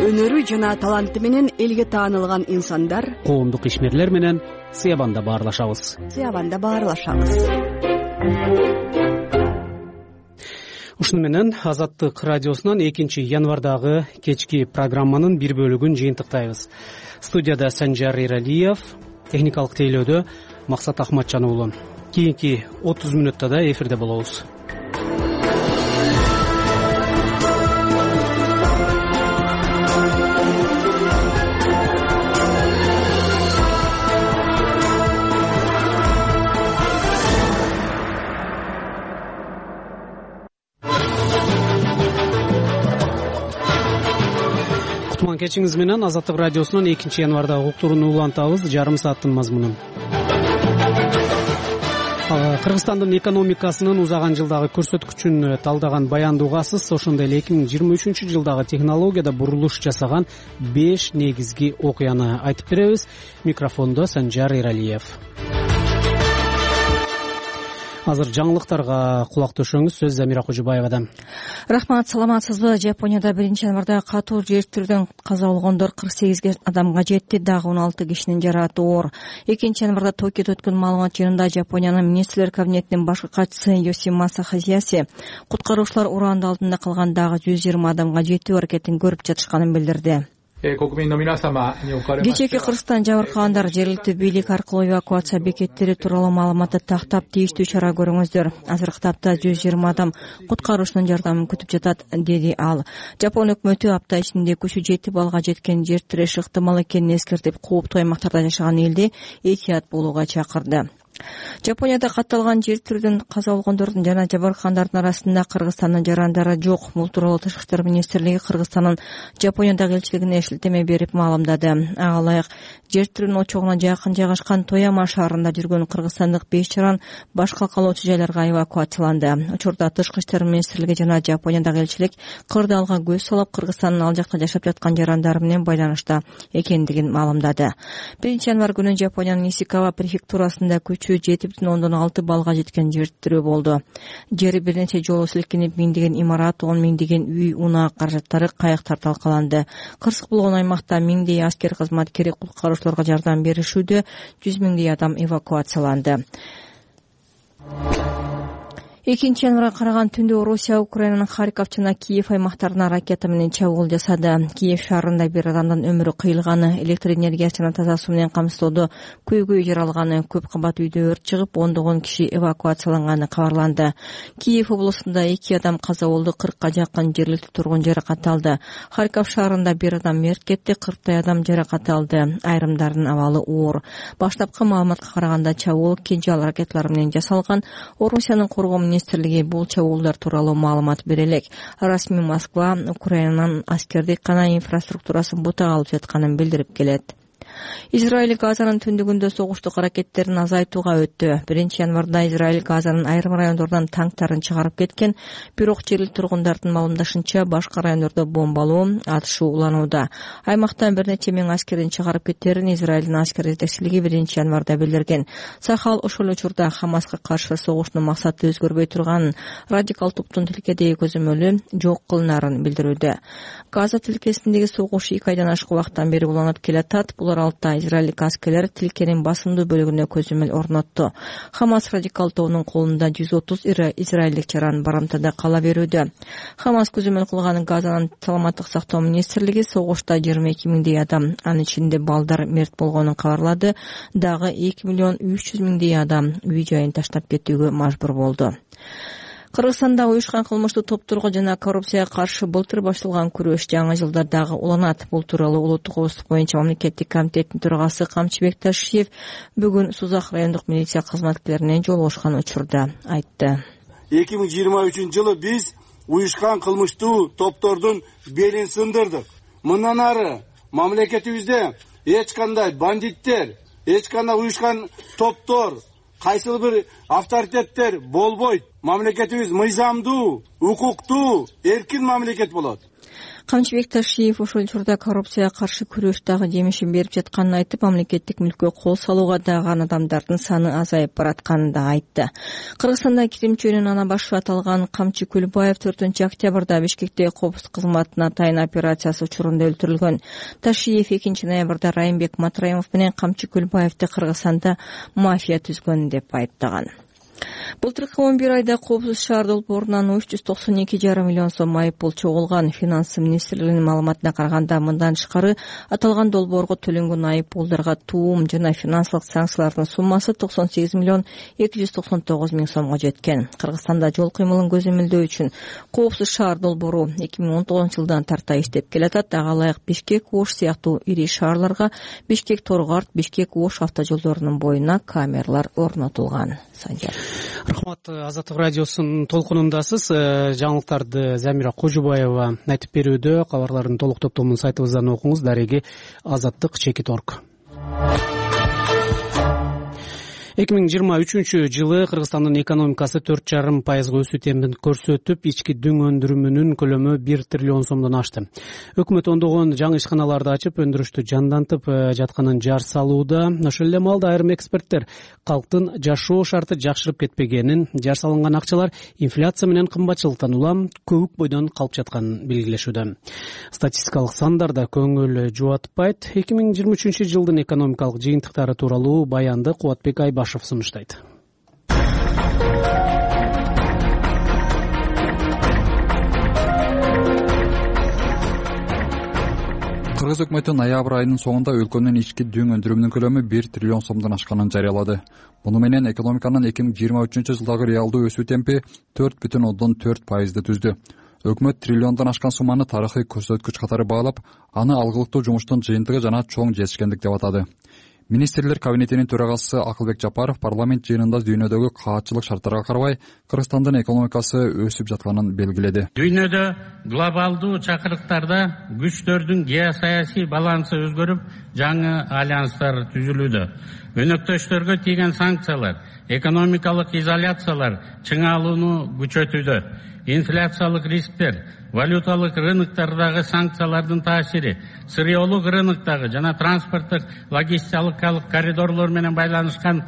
Өнөрү жана таланты менен элге таанылган инсандар, коомдук ишмерлер менен Сыябанда баарлашабыз. Сыябанда баарлашабыз. Ушуну менен Азаттык радиосунан экинчи январдагы кечки программанын бир бөлүгүн жыйынтыктайбыз. Студияда Санжар Эралиев, техникалык тейлөөдө Максат Ахматжан уулу. Кийинки отуз мүнөттө да эфирде болобуз. Кечиңиз менен Азаттык радиосунан экинчи январдагы уктурууну улантабыз. Жарым сааттын мазмунун. Кыргызстандын экономикасынын узаган жылдагы көрсөткүчүн талдаган баянды угасыз. Ошондой эле эки миң жыйырма үчүнчү жылдагы технологияда бурулуш жасаган беш негизги окуяны айтып беребиз. Микрофондо Санжар Эралиев. Азыр жаңылыктарга кулак төшөңүз. Сөз Замира Кожубаевадан. Рахмат, саламатсызбы? Жапонияда биринчи январда катуу жер тирүүдөн каза болгондор кырк сегиз адамга жетти, дагы он алты кишинин жаракаты оор. экинчи январда Токиодо өткөн маалымат жыйынында Жапониянын министрлер кабинетинин башкы катчысы Йосимаса Хазияси куткаруучулар ураанды алдында калган дагы жүз жыйырма адамга жетүү аракетин көрүп жатышканын билдирди. Кечээки Кыргызстан жабыркагандар жергиликтүү бийлик аркылуу эвакуация бекеттери тууралуу маалыматты тактап тийиштүү чара көрүңүздөр. Азыркы тапта жүз жыйырма адам куткаруучунун жардамын күтүп жатат, деди ал. Жапон өкмөтү апта ичинде күчү жети балга жеткен жер тиреш ыктымал экенин эскертип, кооптуу аймактарда жашаган элди этият болууга чакырды. Жапонияда катталган жер тирүүдөн каза болгондордун жана жабыркагандардын арасында Кыргызстандын жарандары жок. Бул тууралуу Тышкы иштер министрлиги Кыргызстандын Жапониядагы элчилигине шилтеме берип маалымдады. Ага ылайык жер тирүүнүн очогуна жакын жайгашкан Тояма шаарында жүргөн кыргызстандык беш жаран башка калоочу жайларга эвакуацияланды. Учурда Тышкы иштер министрлиги жана Жапониядагы элчилик кырдаалга көз салып, Кыргызстандын ал жакта жашап жаткан жарандары менен байланышта экендигин маалымдады. биринчи январ күнү Жапониянын Исикава префектурасында күчү жети бүтүн ондон алты балга жеткен жер тирөө болду. Жери бир нече жолу силкинип, миңдеген имарат, он миңдеген үй, унаа каражаттары, кайыктар талкаланды. Кырсык болгон аймакта миңдей аскер кызматкери куткаруучуларга жардам беришүүдө, жүз миңдей адам эвакуацияланды. экинчи январга караган түндө Орусия Украинанын Харьков жана Киев аймактарына ракета менен чабуул жасады. Киев шаарында бир адамдын өмүрү кыйылганы, электр энергиясы жана таза суу менен камсыздоодо көйгөй жаралганы, көп кабат үйдө өрт чыгып, ондогон киши эвакуацияланганы кабарланды. Киев облусунда эки адам каза болду, кыркка жакын жергиликтүү тургун жаракат алды. Харьков шаарында бир адам мерт кетти, кырктай адам жаракат алды. Айрымдарынын абалы оор. Баштапкы маалыматка караганда чабуул кинжал ракеталары менен жасалган. Орусиянын коргоо министрлиги бул чабуулдар тууралуу маалымат бере элек. Расмий Москва Украинанын аскердик гана инфраструктурасын бутага алып жатканын билдирип келет. Израиль Газанын түндүгүндө согуштук аракеттерин азайтууга өттү. биринчи январда Израиль Газанын айрым райондордон танктарын чыгарып кеткен, бирок жергиликтүү тургундардын маалымдашынча башка райондордо бомбалоо, атышуу уланууда. Аймактан бир нече миң аскерин чыгарып кеттерин Израилдин аскер жетекчилиги биринчи январда билдирген. Сахал ошол эле учурда Хамаска каршы согуштун максаты өзгөрбөй турганын, радикал топтун тилкедеги көзөмөлү жок кылынарын билдирүүдө. Газа тилкесиндеги согуш эки айдан ашык убакыттан бери уланып келатат. Булар алта израилдик аскерлер тилкенин басымдуу бөлүгүнө көзөмөл орнотту. Хамас радикал тобунун колунда жүз отуз израилдик жаран барымтада кала берүүдө. Хамас көзөмөл кылган Газанын саламаттык сактоо министрлиги согушта жыйырма эки миңдей адам, анын ичинде балдар мерт болгонун кабарлады. Дагы эки миллион үч жүз миңдей адам үй жайын таштап кетүүгө мажбур болду. Кыргызстанда уюшкан кылмыштуу топторго жана коррупцияга каршы былтыр башталган күрөш жаңы жылда дагы уланат. Бул тууралуу улуттук коопсуздук боюнча мамлекеттик комитеттин төрагасы Камчыбек Ташиев бүгүн Сузак райондук милиция кызматкерлеринен жолугушкан учурда айтты. эки миң жыйырма үчүнчү жылы биз уюшкан кылмыштуу топтордун белин сындырдык. Мындан ары мамлекетибизде эч кандай бандиттер, эч кандай уюшкан топтор, кайсыл бир авторитеттер болбойт. Мамлекетибиз мыйзамдуу, укуктуу, эркин мамлекет болот. Камчыбек Ташиев ошол учурда коррупцияга каршы күрөш дагы жемишин берип жатканын айтып, мамлекеттик мүлккө кол салууга даган адамдардын саны азайып баратканын да айтты. Кыргызстанда киримчүөнүн ана башы аталган Камчы Күлбаев төртүнчү октябрда Бишкекте коопсуз кызматына тайын операциясы учурунда өлтүрүлгөн. Ташиев экинчи ноябрда Райымбек Матраимов менен Камчы Күлбаевди Кыргызстанда мафия түзгөн деп айыптаган. Былтыркы он бир айда Коопсуз шаар долбоорунан үч жүз токсон эки жарым миллион сом айыппул чогулган. Финансы министрлигинин маалыматына караганда, мындан тышкары аталган долбоорго төлөнгөн айыппулдарга туум жана финансылык санкциялардын суммасы токсон сегиз миллион эки жүз токсон тогуз миң сомго жеткен. Кыргызстанда жол кыймылын көзөмөлдөө үчүн Коопсуз шаар долбоору эки миң он тогузунчу жылдан тарта иштеп келатат. Ага ылайык Бишкек, Ош сыяктуу ири шаарларга Бишкек Торгарт, Бишкек Ош автожолдорунун боюна камералар орнотулган. Санжар. Рахмат. Азаттык радиосунун толкунундасыз. Жаңылыктарды Замира Кожубаева айтып берүүдө. Кабарлардын толук топтомун сайтыбыздан окуңуз. Дареги азаттык чекит орг. эки миң жыйырма үчүнчү жылы Кыргызстандын экономикасы төрт жарым пайызга өсүү темпин көрсөтүп, ички дүң өндүрүмүнүн көлөмү бир триллион сомдон ашты. Өкмөт ондогон жаңы ишканаларды ачып, өндүрүштү жандантып жатканын жар салууда. Ошол эле маалда айрым эксперттер калктын жашоо шарты жакшырып кетпегенин, жар салынган акчалар инфляция менен кымбатчылыктан улам көбүк бойдон калып жатканын белгилешүүдө. Статистикалык сандар да көңүл жубатпайт. эки миң жыйырма үчүнчү жылдын экономикалык жыйынтыктары тууралуу баянды Кубатбек Айбашев сунуштайт. Кыргыз өкмөтү ноябрь айынын соңунда өлкөнүн ички дүң өндүрүмүнүн көлөмү бир триллион сомдон ашканын жарыялады. Муну менен экономиканын эки миң жыйырма үчүнчү жылдагы реалдуу өсүү темпи төрт бүтүн ондон төрт пайызды түздү. Өкмөт триллиондон ашкан сумманы тарыхый көрсөткүч катары баалап, аны алгылыктуу жумуштун жыйынтыгы жана чоң жетишкендик деп атады. Министрлер кабинетинин төрагасы Акылбек Жапаров парламент жыйынында дүйнөдөгү каатчылык шарттарга карабай Кыргызстандын экономикасы өсүп жатканын белгиледи. Дүйнөдө глобалдуу чакырыктарда күчтөрдүн геосаясий балансы өзгөрүп, жаңы альянстар түзүлүүдө. Өнөктөштөргө тийген санкциялар, экономикалык изоляциялар чыңалууну күчөтүүдө. Инфляциялык рисктер, валюталык рыноктардагы санкциялардын таасири, сырьеолук рыноктогу жана транспорттук логистикалык коридорлор менен байланышкан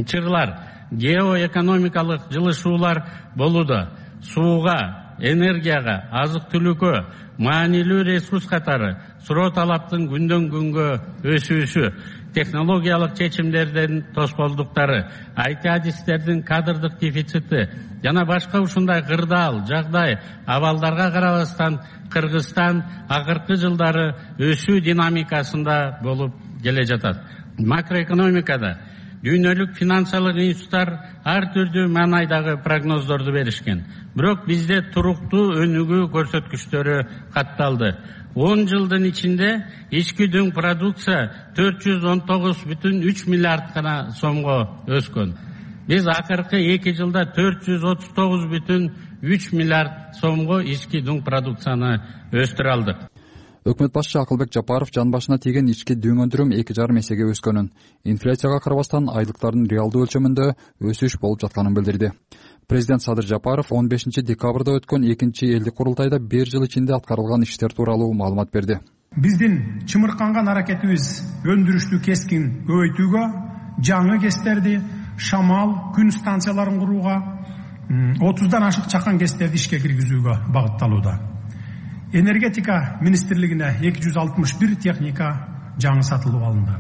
чырлар, геоэкономикалык жылышуулар болууда. Сууга, энергияга, азык-түлүккө, маанилүү ресурс катары суроо талаптын күндөн күнгө өсүүсү, технологиялык чечимдердин тоскоолдуктары, ай ти адистердин кадрдык дефицити жана башка ушундай кырдаал жагдай абалдарга карабастан Кыргызстан акыркы жылдары өсүү динамикасында болуп келе жатат. Макроэкономикада дүйнөлүк финансылык институттар ар түрдүү маанайдагы прогноздорду беришкен. Бирок бизде туруктуу өнүгүү көрсөткүчтөрү катталды. он жылдын ичинде ички дүң продукция төрт жүз он тогуз бүтүн үч миллиард гана сомго өскөн. Биз акыркы эки жылда төрт жүз отуз тогуз бүтүн үч миллиард сомго ички дүң продукцияны өстүрө алдык. Өкмөт башчы Акылбек Жапаров жан башына тийген ички дүң өндүрүм эки жарым эсеге өскөнүн, инфляцияга карабастан айлыктардын реалдуу өлчөмүндө өсүш болуп жатканын билдирди. Президент Садыр Жапаров он бешинчи декабрда өткөн экинчи элдик курултайда бир жыл ичинде аткарылган иштер тууралуу маалымат берди. Биздин чымырканган аракетибиз өндүрүштү кескин көбөйтүүгө, жаңы кестерди, шамал, күн станцияларын курууга, отуздан ашык чакан кестерди ишке киргизүүгө багытталууда. Энергетика министрлигине эки жүз алтымыш бир техника жаңы сатылып алынды.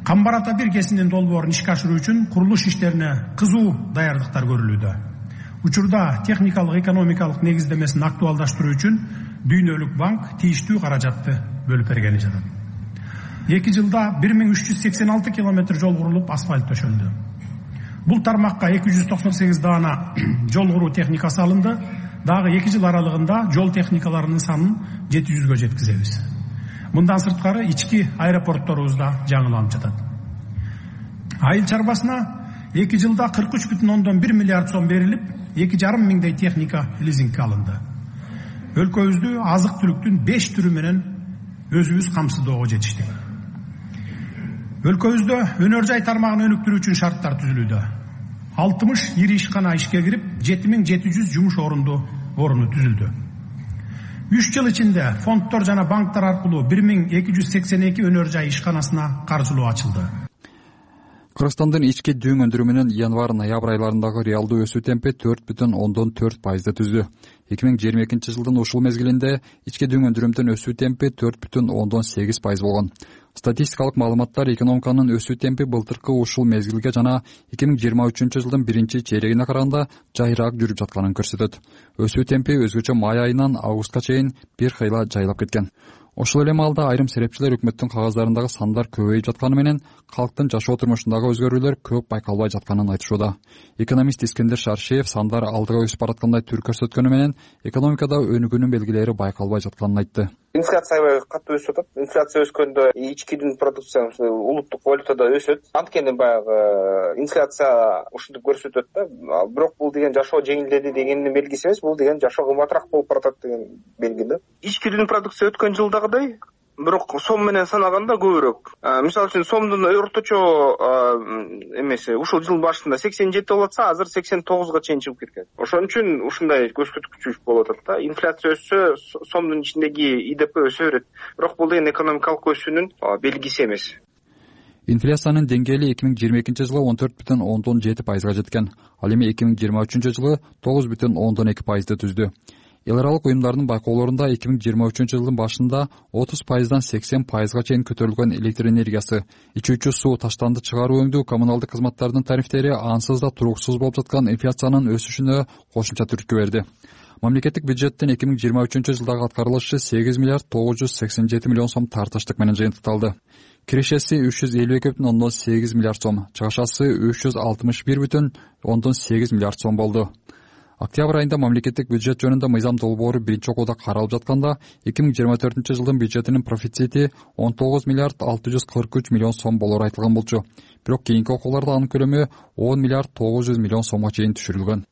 Камбар ата бир кесинин долбоорун ишке ашыруу үчүн курулуш иштерине кызуу даярдыктар көрүлүүдө. Учурда техникалык экономикалык негиздемесин актуалдаштыруу үчүн Дүйнөлүк банк тийиштүү каражатты бөлүп бергени жатат. эки жылда бир миң үч жүз сексен алты километр жол курулуп, асфальт төшөлдү. Бул тармакка эки жүз токсон сегиз даана жол куруу техникасы алынды. Дагы эки жыл аралыгында жол техникаларынын санын жети жүзгө жеткизебиз. Мындан сырткары ички аэропортторубузда жаңыланып жатат. Айыл чарбасына эки жылда кырк үч бүтүн ондон бир миллиард сом берилип, эки жарым миңдей техника лизингке алынды. Өлкөбүздү азык-түлүктүн беш түрү менен өзүбүз камсыздоого жетиштик. Өлкөбүздө өнөр жай тармагын өнүктүрүү үчүн шарттар түзүлүүдө. алтымыш ири ишкана ишке кирип, жети миң жети жүз жумуш орунду орunu түзүлдү. үч жыл ичинде фонддор жана банктар аркылуу бир миң эки жүз сексен эки өнөр жай ишканасына каржылоо ачылды. Кыргызстандын ички дүүң өндүрүмүнүн январь-ноябрь айларындагы реалдуу өсүү темпи төрт бүтүн ондон төрт пайызды түздү. эки миң жыйырма экинчи жылдын ушул мезгилинде ички дүүң өндүрүмдүн өсүү темпи төрт бүтүн ондон сегиз пайыз болгон. Статистикалык маалыматтар экономиканын өсүү темпи былтыркы ушул мезгилге жана эки миң жыйырма үчүнчү жылдын биринчи чейрегине караганда жайыраак жүрүп жатканын көрсөтөт. Өсүү темпи өзгөчө май айынан августка чейин бир кыйла жайлап кеткен. Ошол эле маалда айрым серепчилер өкмөттүн кагаздарындагы сандар көбөйүп жатканы менен калктын жашоо турмушундагы өзгөрүүлөр көп байкалбай жатканын айтышууда. Экономист Искендер Шаршеев сандар алдыга өсүп бараткандай түр көрсөткөнү менен экономикада өнүгүүнүн белгилери байкалбай жатканын айтты. Инфляция аябай катуу өсүп жатат. Инфляция өскөндө ички дүүң продукциясы улуттук валютада өсөт. Анткени баягы инфляция ушинтип көрсөтөт да. Бирок бул деген жашоо жеңилдеди дегендин белгиси эмес, бул деген жашоо кымбатыраак болуп баратат деген белги да. Ички дүүң продукция өткөн жылдагыдай, бирок сом менен санаганда көбүрөөк. Мисалы үчүн сомдун орточо эмеси ушул жыл башында сексен жети болуп атса, азыр сексен тогузга чейин чыгып кеткен. Ошон үчүн ушундай көрсөткүч болуп атат да. Инфляция өссө, сомдун ичиндеги И Д П өсө берет. Бирок бул деген экономикалык өсүүнүн белгиси эмес. Инфляциянын деңгээли эки миң жыйырма экинчи жылы он төрт бүтүн ондон жети пайызга жеткен. Ал эми эки миң жыйырма үчүнчү жылы тогуз бүтүн ондон эки пайызды түздү. Эл аралык уюмдардын байкоолорунда эки миң жыйырма үчүнчү жылдын башында отуз пайыздан сексен пайызга чейин көтөрүлгөн электр энергиясы, ичүүчү суу, таштанды чыгаруу өңдүү коммуналдык кызматтардын тарифтери ансыз да туруксуз болуп жаткан инфляциянын өсүшүнө кошумча түрткү берди. Мамлекеттик бюджеттин эки миң жыйырма үчүнчү жылдагы аткарылышы сегиз миллиард тогуз жүз сексен жети миллион сом тартыштык менен жыйынтыкталды. Кирешеси үч жүз элүү эки бүтүн ондон сегиз миллиард сом, чыгашасы үч жүз алтымыш бир бүтүн ондон сегиз миллиард сом болду. Октябрь айында мамлекеттик бюджет жөнүндө мыйзам долбоору биринчи окууда каралып жатканда эки миң жыйырма төртүнчү жылдын бюджетинин профицити он тогуз миллиард алты жүз кырк үч миллион сом болору айтылган болчу. Бирок кийинки окууларда анын көлөмү он миллиард тогуз жүз миллион сомго чейин түшүрүлгөн.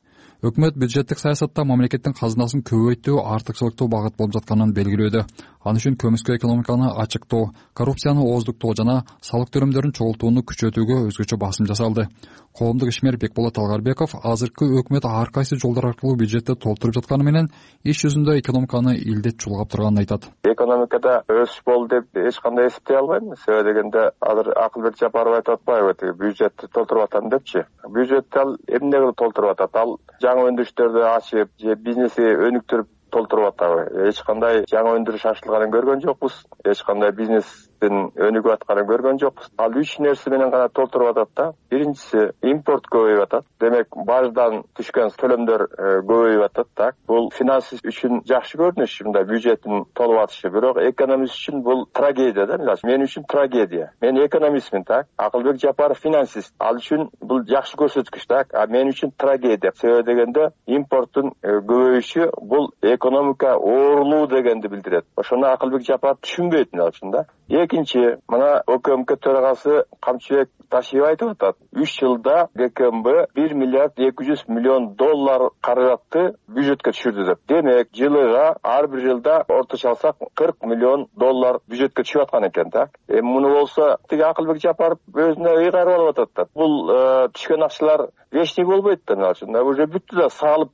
Өкмөт бюджеттик саясатта мамлекеттин казынасын көбөйтүү, артыкчылыктуу багыт болуп жатканын белгилөөдө. Ал үчүн көмүскө экономиканы ачыктоо, коррупцияны ооздуктоо жана салык төлөмдөрүн чогултууну күчөтүүгө өзгөчө басым жасалды. Коомдук ишмер Бекболот Алгарбеков азыркы өкмөт ар кайсы жолдор аркылуу бюджетти толтуруп жатканы менен иш жүзүндө экономиканы илдет чулгап турганын айтат. Экономикада өсүш болду деп эч кандай эсептей албайм. Себеби дегенде азыр Акылбек Жапаров айтып атпайбы, бюджетти толтуруп атам депчи. Бюджетти ал эмне кылып толтуруп атат? Ал жаңы өндүрүштөрдү ачып, же бизнеси өнүктүрүп толтуруп атабы? Эч кандай жаңы өндүрүш ачылганын көргөн жокпуз. Эч кандай бизнестин өнүгүп атканын көргөн жокпуз. Ал үч нерсе менен гана толтуруп атат да. Биринчиси импорт көбөйүп атат. Демек баждан түшкөн төлөмдөр көбөйүп атат, так. Бул финанс үчүн жакшы көрүнүш, мындай бюджеттин толуп атышы. Бирок экономист үчүн бул трагедия да. Мен үчүн трагедия. Мен экономистмин, так. Акылбек Жапаров финансист. Ал үчүн бул жакшы көрсөткүч, так. А мен үчүн трагедия. Себеби дегенде импорттун көбөйүшү бул экономика оорулуу дегенди билдирет. Ошону Акылбек Жапаров түшүнбөйт мен үчүн да. Экинчи, мына ОКМК төрагасы Камчыбек Ташиев айтып атат. үч жылда Г К М Б бир миллиард эки жүз миллион доллар каражатты бюджетке түшүрдү деп. Демек, жылыга ар бир жылда орточо алсак кырк миллион доллар бюджетке түшүп аткан экен, так. Эми муну болсо тиги Акылбек Жапаров өзүнө ыйгарып алып атат да. Бул түшкөн акчалар вечный болбойт да, мына үчүн. Уже бүттү да, салып,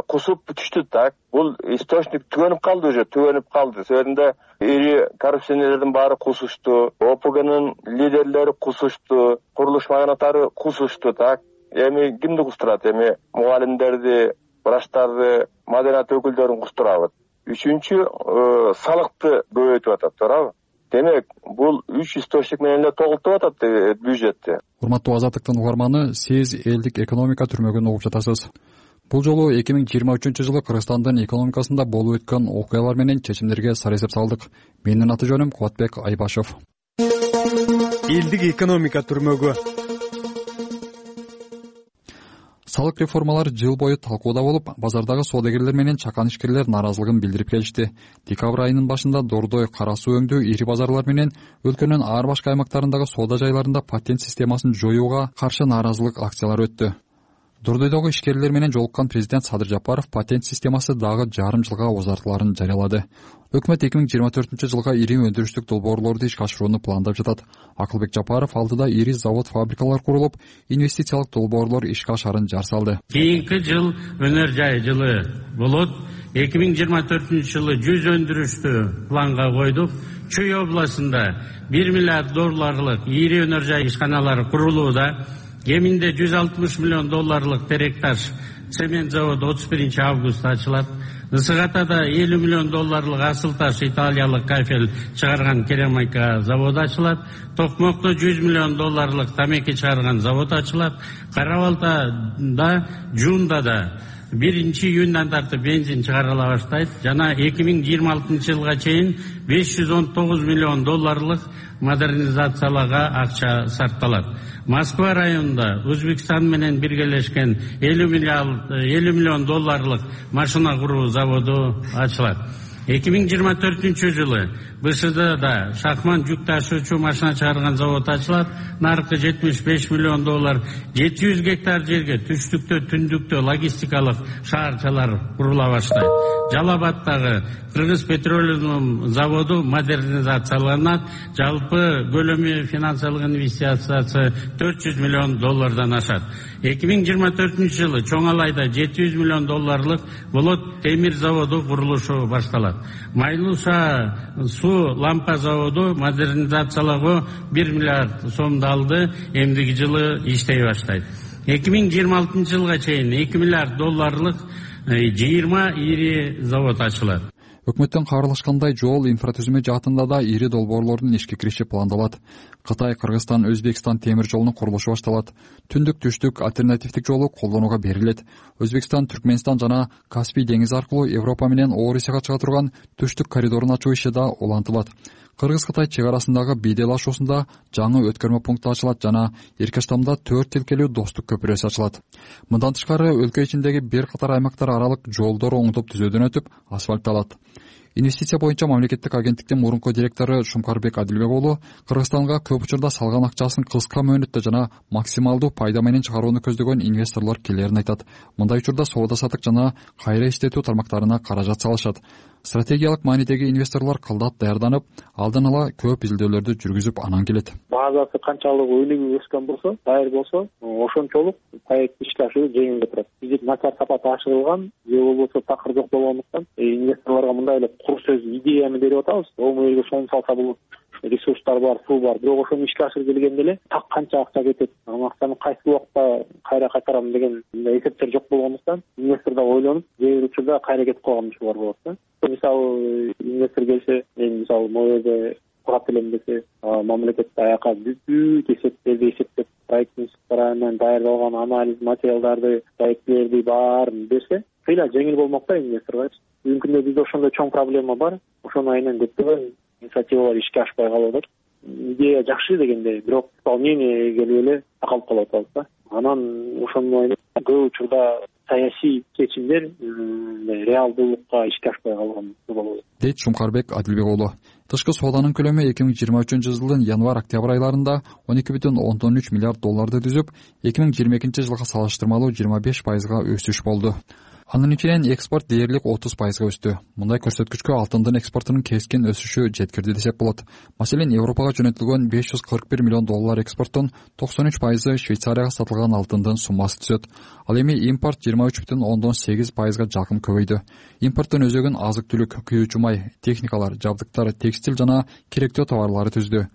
кусуп түштү, так. Бул источник түгөнүп калды, уже түгөнүп калды. Себебинде ири коррупционерлердин баары кусушту, О П Гнын лидерлери кусушту, курулуш магнаттары кусушту, так. Эми кимди кустурат? Эми мугалимдерди, врачтарды, маданият өкүлдөрүн кустурабы? Үчүнчү, салыкты көбөйтүп атат, туурабы? Демек, бул үч источник менен эле толтуруп атат бюджетти. Урматтуу Азаттыктын угарманы, сиз элдик экономика түрмөгүн угуп жатасыз. Бул жолу эки миң жыйырма үчүнчү жылы Кыргызстандын экономикасында болуп өткөн окуялар менен чечимдерге сар эсеп салдык. Менин аты жөнүм Кубатбек Айбашев. Элдик экономика түрмөгү. Салык реформалары жыл бою талкууда болуп, базардагы соодагерлер менен чакан ишкерлер нааразылыгын билдирип келишти. Декабрь айынын башында Дордой, Кара Суу өңдүү ири базарлар менен өлкөнүн ар башка аймактарындагы соода жайларында патент системасын жоюуга каршы нааразылык акциялары өттү. Дордойдогу ишкерлер менен жолуккан президент Садыр Жапаров патент системасы дагы жарым жылга узартыларын жарыялады. Өкмөт эки миң жыйырма төртүнчү жылга ири өндүрүштүк долбоорлорду ишке ашырууну пландап жатат. Акылбек Жапаров алдыда ири завод, фабрикалар курулуп, инвестициялык долбоорлор ишке ашарын жар салды. Кийинки жыл өнөр жай жылы болот. эки миң жыйырма төртүнчү жылы жүз өндүрүштү планга койдук. Чүй областында бир миллиард долларлык ири өнөр жай ишканалары курулууда. Кеминде жүз алтымыш миллион долларлык Теректаш цемент заводу отуз биринчи августта ачылат. Ысыгатада элүү миллион долларлык асыл таш италиялык кафель чыгарган керамика заводу ачылат. Токмокто жүз миллион долларлык тамеки чыгарган завод ачылат. Кара Балтада, Жундада биринчи июндан тартып бензин чыгарыла баштайт. Жана эки миң жыйырма алтынчы жылга чейин беш жүз он тогуз миллион долларлык модернизацияларга акча сарпталат. Москва районунда Өзбекстан менен биргелешкен элүү миллион долларлык машина куруу заводу ачылат. эки миң жыйырма төртүнчү жылы БШДда Шахман жүк ташуучу машина чыгарган завод ачылат. Наркы жетимиш беш миллион доллар, жети жүз гектар жерге түштүктө, түндүктө логистикалык шаарчалар курула баштайт. Жалал-Абадтагы Кыргыз петролиум заводу модернизацияланат. Жалпы көлөмү финансылык инвестициясы төрт жүз миллион доллардан ашат. эки миң жыйырма төртүнчү жылы Чоң Алайда жети жүз миллион долларлык Болот темир заводу курулушу башталат. Майлуша суу лампа заводу модернизациялоого бир миллиард сомду алды. Эмдиги жылы иштей баштайт. эки миң жыйырма алтынчы жылга чейин эки миллиард долларлык жыйырма ири завод ачылат. Өкмөттөн кабарлашкандай, жол инфратүзүмө жаатында да ири долбоорлордун ишке кириши пландалат. Кытай, Кыргызстан, Өзбекстан темир жолунун курулушу башталат. Түндүк түштүк альтернативдик жолу колдонууга берилет. Өзбекстан, Түркмөнстан жана Каспий деңизи аркылуу Европа менен Орусияга чыга турган түштүк коридорун ачуу иши да улантылат. Кыргыз-Кытай чек арасындагы бийделашуусунда жаңы өткөрмө пункту ачылат жана Эркештамда төрт тилкелүү достук көпүрөсү ачылат. Мындан тышкары өлкө ичиндеги бир катар аймактар аралык жолдор оңдоп түзөөдөн өтүп, асфальтталат. Инвестиция боюнча мамлекеттик агенттиктин мурунку директору Шумкарбек Адилбек уулу Кыргызстанга көп учурда салган акчасын кыска мөөнөттө жана максималдуу пайда менен чыгарууну көздөгөн инвесторлор келерин айтат. Мындай учурда соода сатык жана кайра иштетүү тармактарына каражат салышат. Стратегиялык маанидеги инвесторлор кылдат даярданып, алдын ала көп изилдөөлөрдү жүргүзүп анан келет. Базасы канчалык өнүгүп өскөн болсо, даяр болсо, ошончолук проект ишке ашыруу жеңил турат. Бизде начар сапаты ашырылган, же болбосо такыр жок болгондуктан инвесторлорго мындай эле кур сөз идеяны берип атабыз. Оң элге шону салса бул ресурстар бар, суу бар, бирок ошону ишке ашырып келгенде эле так канча акча кетет, ал акчаны кайсы убакта кайра кайтарам деген эсептер жок болгондуктан инвестор да ойлонуп, кээ бир учурда кайра кетип калган учурлар болот да. Мисалы инвестор келсе, мен мисалы могу жерде курат элем десе, мамлекет аяка бүт эсептерди эсептеп, проекттин менен даярдалган анализ материалдарды, проектлерди баарын берсе, кыйла жеңил болмок да инвесторго. Бүгүнкү күндө бизде ошондой чоң проблема бар. Ошону айынан көптөгөн инициативалар ишке ашпай калып атат. Идея жакшы дегенде, бирок исполнение келип эле такалып калып атабыз да. Анан ошону көп учурда саясий чечимдер реалдуулукка ишке ашпай калган болот, дейт Шумкарбек Адилбек уулу. Тышкы сооданын көлөмү эки миң жыйырма үчүнчү жылдын январь-октябрь айларында он эки бүтүн ондон үч миллиард долларды түзүп, эки миң жыйырма экинчи жылга салыштырмалуу жыйырма беш пайызга өсүш болду. Анын ичинен экспорт дээрлик отуз пайызга өстү. Мындай көрсөткүчкө алтындын экспортунун кескин өсүшү жеткирди десек болот. Маселен, Европага жөнөтүлгөн беш жүз кырк бир миллион доллар экспорттун токсон үч пайызы Швейцарияга сатылган алтындын суммасы түзөт. Ал эми импорт жыйырма үч бүтүн ондон сегиз пайызга жакын көбөйдү. Импорттун өзөгүн азык-түлүк, күйүүчү май, техникалар, жабдыктар, текстиль жана керектөө товарлары түздү.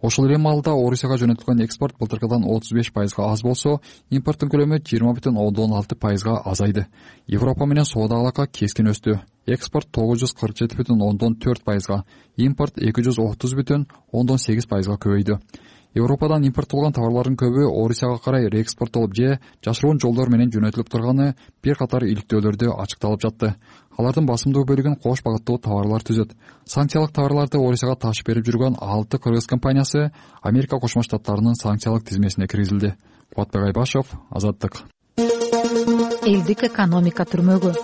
Ошол эле маалда Орусияга жөнөтүлгөн экспорт былтыркыдан отуз беш пайызга аз болсо, импорттун көлөмү жыйырма бүтүн ондон алты пайызга азайды. Европа менен соода алака кескин өстү. Экспорт тогуз жүз кырк жети бүтүн ондон төрт пайызга, импорт эки жүз отуз бүтүн ондон сегиз пайызга көбөйдү. Европадан импорттолгон товарлардын көбү Орусияга карай реэкспорттолуп же жашыруун жолдор менен жөнөтүлүп турганы бир катар иликтөөлөрдө ачыкталып жатты. Алардын басымдуу бөлүгүн кош багыттуу товарлар түзөт. Санкциялык товарларды Орусияга ташып берип жүргөн алты кыргыз компаниясы Америка Кошмо Штаттарынын санкциялык тизмесине киргизилди. Кубатбек Айбашев, Азаттык. Элдик экономика түрмөгү.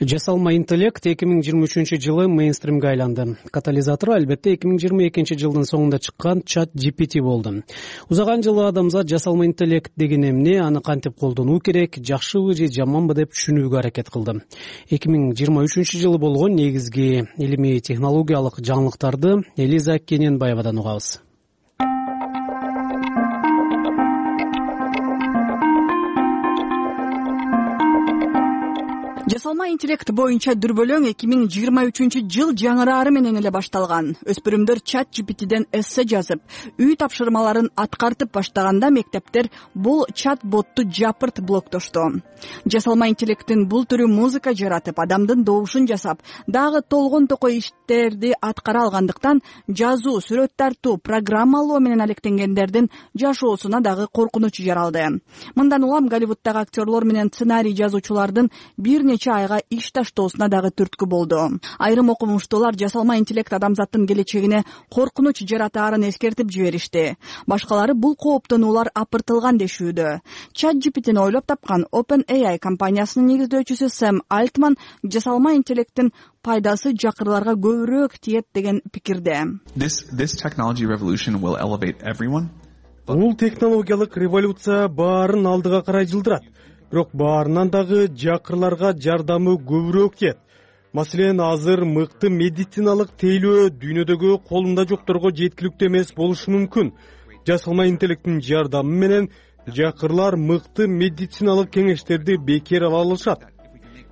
Жасалма интеллект эки миң жыйырма үчүнчү жылы мейнстримге айланды. Катализатору албетте эки миң жыйырма экинчи жылдын соңунда чыккан чат джи пи ти болду. Узаган жылы адамзат жасалма интеллект деген эмне, аны кантип колдонуу керек, жакшыбы же жаманбы деп түшүнүүгө аракет кылды. эки миң жыйырма үчүнчү жылы болгон негизги илимий технологиялык жаңылыктарды Элиза Кененбаевадан угабыз. Жасалма интеллект боюнча дүрбөлөң эки миң жыйырма үчүнчү жыл жаңырары менен эле башталган. Өспүрүмдөр чат джи пи тиден эссе жазып, үй тапшырмаларын аткартып баштаганда мектептер бул чат ботту жапырт блоктошту. Жасалма интеллекттин бул түрү музыка жаратып, адамдын добушун жасап, дагы толгон токой иштерди аткара алгандыктан жазуу, сүрөт тартуу, программалоо менен алектенгендердин жашоосуна дагы коркунуч жаралды. Мындан улам Голливуддагы актерлор менен сценарий жазуучулардын бир нече айга иш таштоосуна дагы түрткү болду. Айрым окумуштуулар жасалма интеллект адамзаттын келечегине коркунуч жаратаарын эскертип жиберишти. Башкалары бул кооптон улар апыртылган дешүүдө. чат джи пи тини ойлоп тапкан OpenAI компаниясынын негиздөөчүсү Сэм Альтман жасалма интеллекттин пайдасы жакырларга көбүрөөк тиет деген пикирде. This this technology revolution will elevate everyone. Бул технологиялык революция баарын алдыга карай жылдырат. Бирок баарынан дагы жакырларга жардамы көбүрөөк тиет. Маселен, азыр мыкты медициналык тейлөө дүйнөдөгү колунда жокторго жеткиликтүү эмес болушу мүмкүн. Жасалма интеллекттин жардамы менен жакырлар мыкты медициналык кеңештерди бекер ала алышат.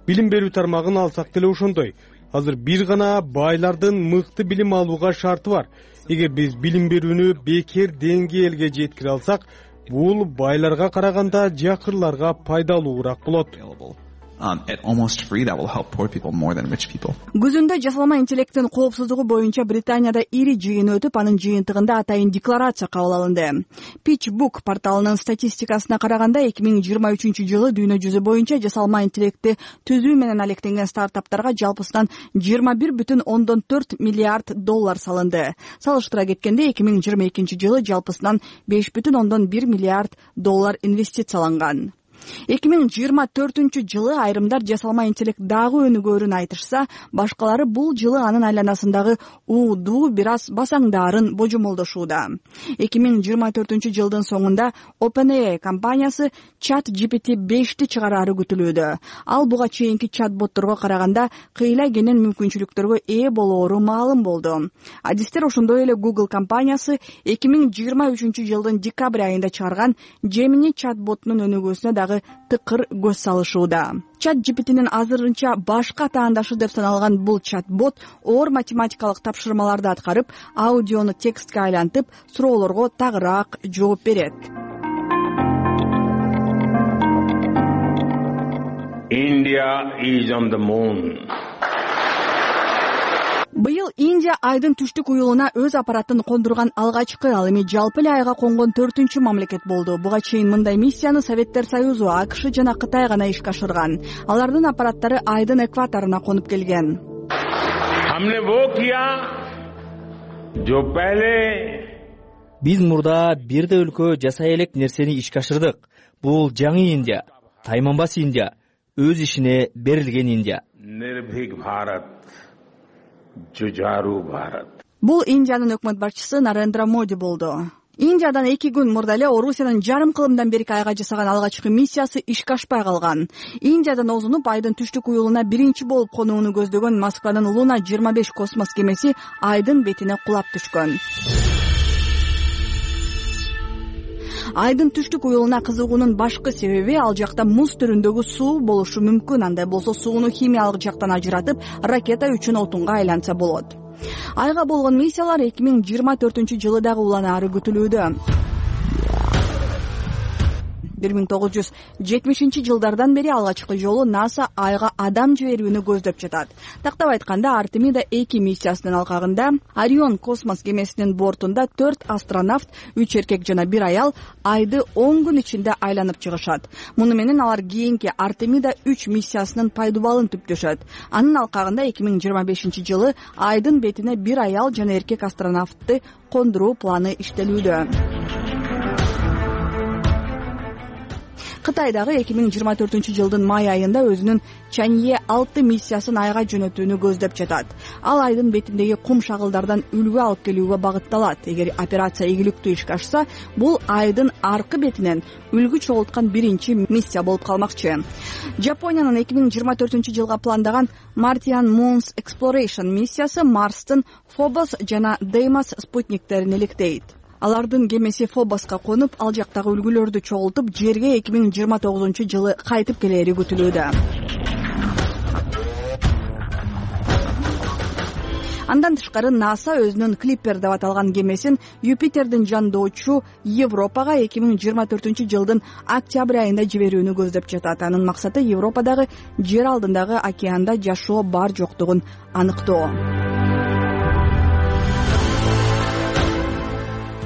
Билим берүү тармагын алсак деле ошондой. Азыр бир гана байлардын мыкты билим алууга шарты бар. Эгер биз билим берүүнү бекер деңгээлге жеткире алсак, бул байларга караганда жакырларга пайдалуураак болот. Um, at almost free, that will help poor people more than rich people. Күзүндө жасалма интеллекттин коопсуздугу боюнча Британияда ири жыйын өтүп, анын жыйынтыгында атайын декларация кабыл алынды. PitchBook порталынын статистикасына караганда эки миң жыйырма үчүнчү жылы дүйнө жүзү боюнча жасалма интеллектти түзүү менен алектенген стартаптарга жалпысынан жыйырма бир бүтүн ондон төрт миллиард доллар салынды. Салыштыра кеткенде эки миң жыйырма экинчи жылы жалпысынан беш бүтүн ондон бир миллиард доллар инвестицияланган. эки миң жыйырма төртүнчү жылы айрымдар жасалма интеллект дагы өнүгөөрүн айтышса, башкалары бул жылы анын айланасындагы уудуу бир аз басаңдаарын божомолдошууда. эки миң жыйырма төртүнчү жылдын соңунда OpenAI компаниясы чат джи пи ти бешти чыгараары күтүлүүдө. Ал буга чейинки чат-ботторго караганда кыйла кенен мүмкүнчүлүктөргө ээ болоору маалым болду. Адистер ошондой эле Google компаниясы эки миң жыйырма үчүнчү жылдын декабрь айында чыгарган Gemini чат-ботунун өнүгүүсүнө дагы тыкыр көз салышууда. чат джи пи тинин азырынча башка таандашы деп саналган бул чат-бот оор математикалык тапшырмаларды аткарып, аудиону текстке айлантып, суроолорго тагыраак жооп берет. India is on the moon. Быйыл Индия айдын түштүк уюлуна өз аппаратын кондурган алгачкы, ал эми жалпы эле айга конгон төртүнчү мамлекет болду. Буга чейин мындай миссияны Советтер Союзу, АКШ жана Кытай гана ишке ашырган. Алардын аппараттары айдын экваторуна конуп келген. Хамне во кия, жо пеле. Биз мурда бирде өлкө жасай элек нерсени ишке ашырдык. Бул жаңы Индия, тайманбас Индия, өз ишине берилген Индия. Нирбхик Бхарат. Жужару Бхарат. Бул Индиянын өкмөт башчысы Нарендра Моди болду. Индиядан эки күн мурда эле Орусиянын жарым кылымдан берки айга жасаган алгачкы миссиясы ишке ашпай калган. Индиядан озунуп айдын түштүк уюлуна биринчи болуп конууну көздөгөн Москванын Луна жыйырма беш космос кемеси айдын бетине кулап түшкөн. Айдын түштүк уюлуна кызыгуунун башкы себеби ал жакта муз түрүндөгү суу болушу мүмкүн. Андай болсо сууну химиялык жактан ажыратып, ракета үчүн отунга айланса болот. Айга болгон миссиялар эки миң жыйырма төртүнчү жылы дагы уланаары күтүлүүдө. бир миң тогуз жүз жетимишинчи жылдардан бери алгачкы жолу НАСА айга адам жиберүүнү көздөп жатат. Тактап айтканда, Артемида эки миссиясынын алкагында Орион космос кемесинин бортунда төрт астронавт, үч эркек жана бир аял айды он күн ичинде айланып чыгышат. Муну менен алар кийинки Артемида үч миссиясынын пайдубалын түптөшөт. Анын алкагында эки миң жыйырма бешинчи жылы айдын бетине бир аял жана эркек астронавтты кондуруу планы иштелүүдө. Кытай дагы эки миң жыйырма төртүнчү жылдын май айында өзүнүн Чанье алты миссиясын айга жөнөтүүнү көздөп жатат. Ал айдын бетиндеги кум шагылдардан үлгү алып келүүгө багытталат. Эгер операция ийгиликтүү ишке ашса, бул айдын аркы бетинен үлгү чогулткан биринчи миссия болуп калмакчы. Жапониянын эки миң жыйырма төртүнчү жылга пландаган Martian Moons Exploration миссиясы Марстын Фобос жана Деймос спутниктерин иликтейт. Алардын кемеси Фобоска конуп, ал жактагы үлгүлөрдү чогултуп, жерге эки миң жыйырма тогузунчу жылы кайтып келери күтүлүүдө. Андан тышкары НАСА өзүнүн Клиппер деп аталган кемесин Юпитердин жандоочу Европага эки миң жыйырма төртүнчү жылдын октябрь айында жиберүүнү көздөп жатат. Анын максаты Европадагы жер алдындагы океанда жашоо бар жоктугун аныктоо.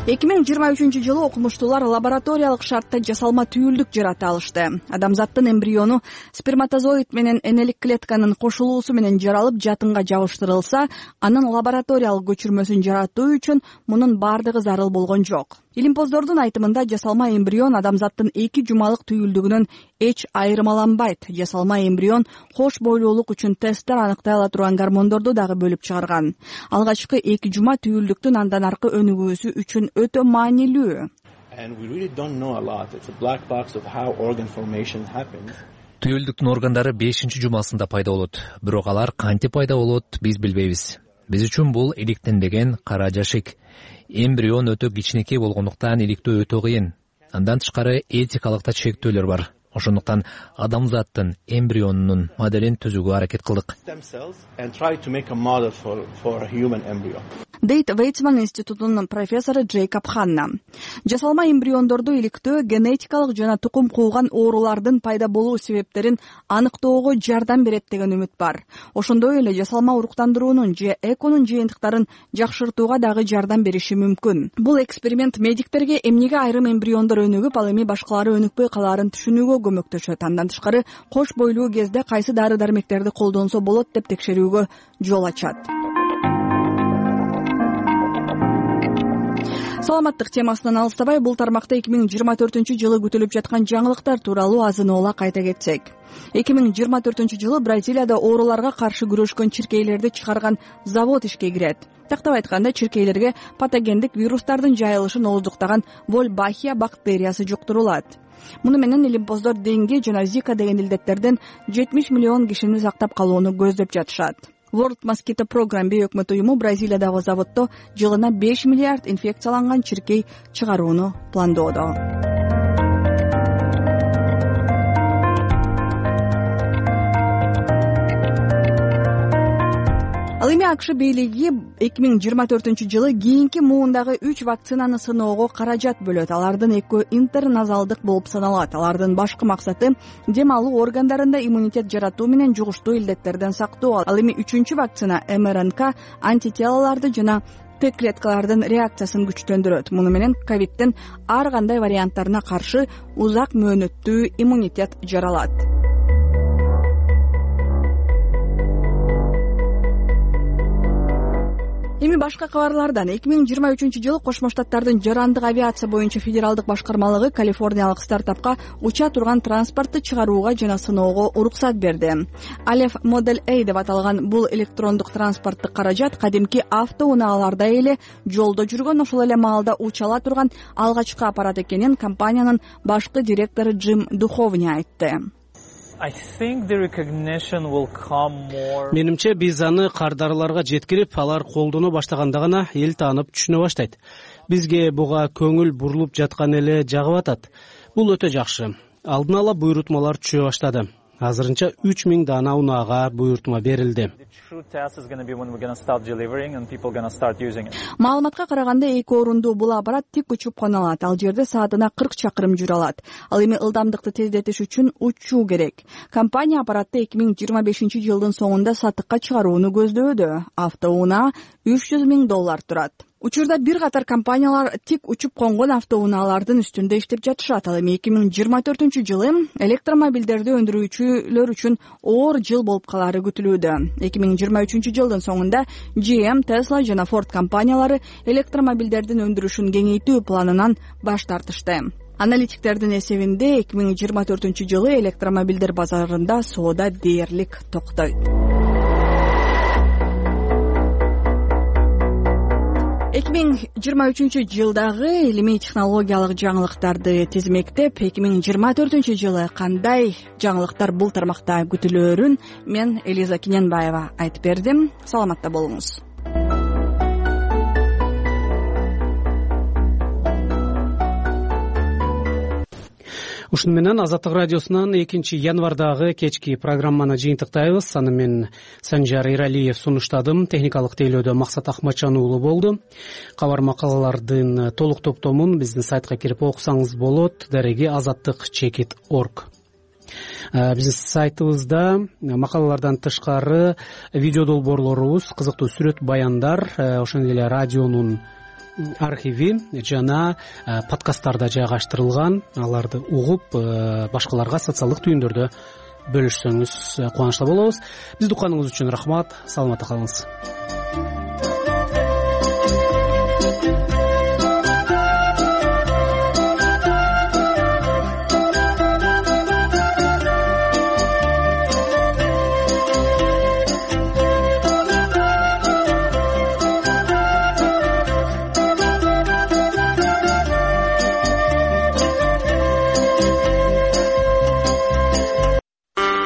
эки миң жыйырма үчүнчү жылы окумуштуулар лабораториялык шартта жасалма түйүлдүк жарата алышты. Адамзаттын эмбриону сперматозоид менен энелик клетканын кошулуусу менен жаралып жатынга жабыштырылса, анын лабораториялык көчүрмөсүн жаратуу үчүн мунун бардыгы зарыл болгон жок. Илимпоздордун айтымында жасалма эмбрион адамзаттын эки жумалык түйүлдүгүнөн эч айырмаланбайт. Жасалма эмбрион кош бойлуулук үчүн тесттер аныктай ала турган гормондорду дагы бөлүп чыгарган. Алгачкы эки жума түйүлдүктүн андан аркы өнүгүүсү үчүн өтө маанилүү. Түйүлдүктүн органдары бешинчи жумасында пайда болот. Бирок алар кантип пайда болот, биз билбейбиз. Биз үчүн бул иликтенбеген кара жашик. Эмбрион өтө кичинекей болгондуктан иликтөө өтө кыйын. Андан тышкары этикалык да чектөөлөр бар. Ошондуктан адамзаттын эмбрионунун моделин түзүүгө аракет кылдык. Дейт Вейцман институтунун профессору Джейкоб Ханна. Жасалма эмбриондорду иликтөө генетикалык жана тукум кууган оорулардын пайда болуу себептерин аныктоого жардам берет деген үмүт бар. Ошондой эле жасалма уруктандыруунун же эконун жыйынтыктарын жакшыртууга дагы жардам бериши мүмкүн. Бул эксперимент медиктерге эмнеге айрым эмбриондор өнүгүп, ал эми башкалары өнүкпөй калаарын түшүнүүгө көмөктөшөт. Андан тышкары кош бойлуу кезде кайсы дары-дармектерди колдонсо болот деп текшерүүгө жол ачат. Саламаттык темасынан алыстабай, бул тармакта эки миң жыйырма төртүнчү жылы күтүлүп жаткан жаңылыктар тууралуу азын-oola кайта кетсек. эки миң жыйырма төртүнчү жылы Бразилияда ооруларга каршы күрөшкөн чиркейлерди чыгарган завод ишке кирет. Тактап айтканда, чиркейлерге патогендик вирустардын жайылышын ооздуктаган Wolbachia бактериясы жуктурулат. Муну менен илимпоздор деңге жана Zika деген илдеттерден жетимиш миллион кишини сактап калууну көздөп жатышат. World Mosquito Program бейөкмөт уюму Бразилиядагы заводдо жылына беш миллиард инфекцияланган чиркей чыгарууну пландоодо. Ал эми АКШ бийлиги эки миң жыйырма төртүнчү жылы кийинки муундагы үч вакцинаны сыноого каражат бөлөт. Алардын экөө интерназалдык болуп саналат. Алардын башкы максаты дем алуу органдарында иммунитет жаратуу менен жугуштуу илдеттерден сактоо. Ал эми үчүнчү вакцина эм эр эн ка антителаларды жана Т клеткалардын реакциясын күчтөндүрөт. Муну менен ковидтин ар кандай варианттарына каршы узак мөөнөттүү иммунитет жаралат. Эми башка кабарлардан эки миң жыйырма үчүнчү жылы Кошмо Штаттардын жарандык авиация боюнча федералдык башкармалыгы калифорниялык стартапка уча турган транспортты чыгарууга жана сыноого уруксат берди. Алеф Модель A деп аталган бул электрондук транспорттук каражат кадимки автоунааlarдай эле жолдо жүргөн, ошол эле маалда учала турган алгачкы аппарат экенин компаниянын башкы директору Джим Духовни айтты. Менимче биз аны кардарларга жеткирип, алар колдоно баштаганда гана эл таанып түшүнө баштайт. Бизге буга көңүл бурулуп жаткан эле жагып атат. Бул өтө жакшы. Алдын ала буйрутмалар түшө баштады. Азырынча үч миң дана унаага буйрутма берилди. Маалыматка караганда эки орундуу бул аппарат тик учуп кона алат. Ал жерде саатына кырк чакырым жүрө алат. Ал эми ылдамдыкты тездетиш үчүн учуу керек. Компания аппаратты эки миң жыйырма бешинчи жылдын соңунда сатыкка чыгарууну көздөөдө. Автоунаа үч жүз миң доллар турат. Учурда бир катар компаниялар тик учуп конгон автоунаалардын үстүндө иштеп жатышат. Ал эми эки миң жыйырма төртүнчү жылы электромобилдерди өндүрүүчүлөр үчүн оор жыл болуп калары күтүлүүдө. эки миң жыйырма үчүнчү жылдын соңунда джи эм, Tesla жана Ford компаниялары электромобилдердин өндүрүшүн кеңейтүү планынан баш тартышты. Аналитиктердин эсебинде эки миң жыйырма төртүнчү жылы электромобилдер базарында соода дээрлик токтойт. эки миң жыйырма үчүнчү жылдагы илимий технологиялык жаңылыктарды тизмектеп, эки миң жыйырма төртүнчү жылы кандай жаңылыктар бул тармакта күтүлөөрүн мен Элиза Киненбаева айтып бердим. Саламатта болуңуз. ушуну менен Азаттык радиосунан экинчи январдагы кечки программаны жыйынтыктайбыз. Аны мен Санжар Иралиев сунуштадым. Техникалык тейлөөдө Максат Акматжан уулу болду. Кабар макалалардын толук топтомун биздин сайтка кирип окусаңыз болот. Дареги азаттык чекит орг. Биздин сайтыбызда макалалардан тышкары видео долбоорлорубуз, кызыктуу сүрөт баяндар, ошондой эле радионун архиви жана подкасттар да жайгаштырылган. Аларды угуп башкаларга социалдык түйүндөрдө бөлүшсөңүз кубанычта болобуз. Бизди укканыңыз үчүн рахмат. Саламатта калыңыз.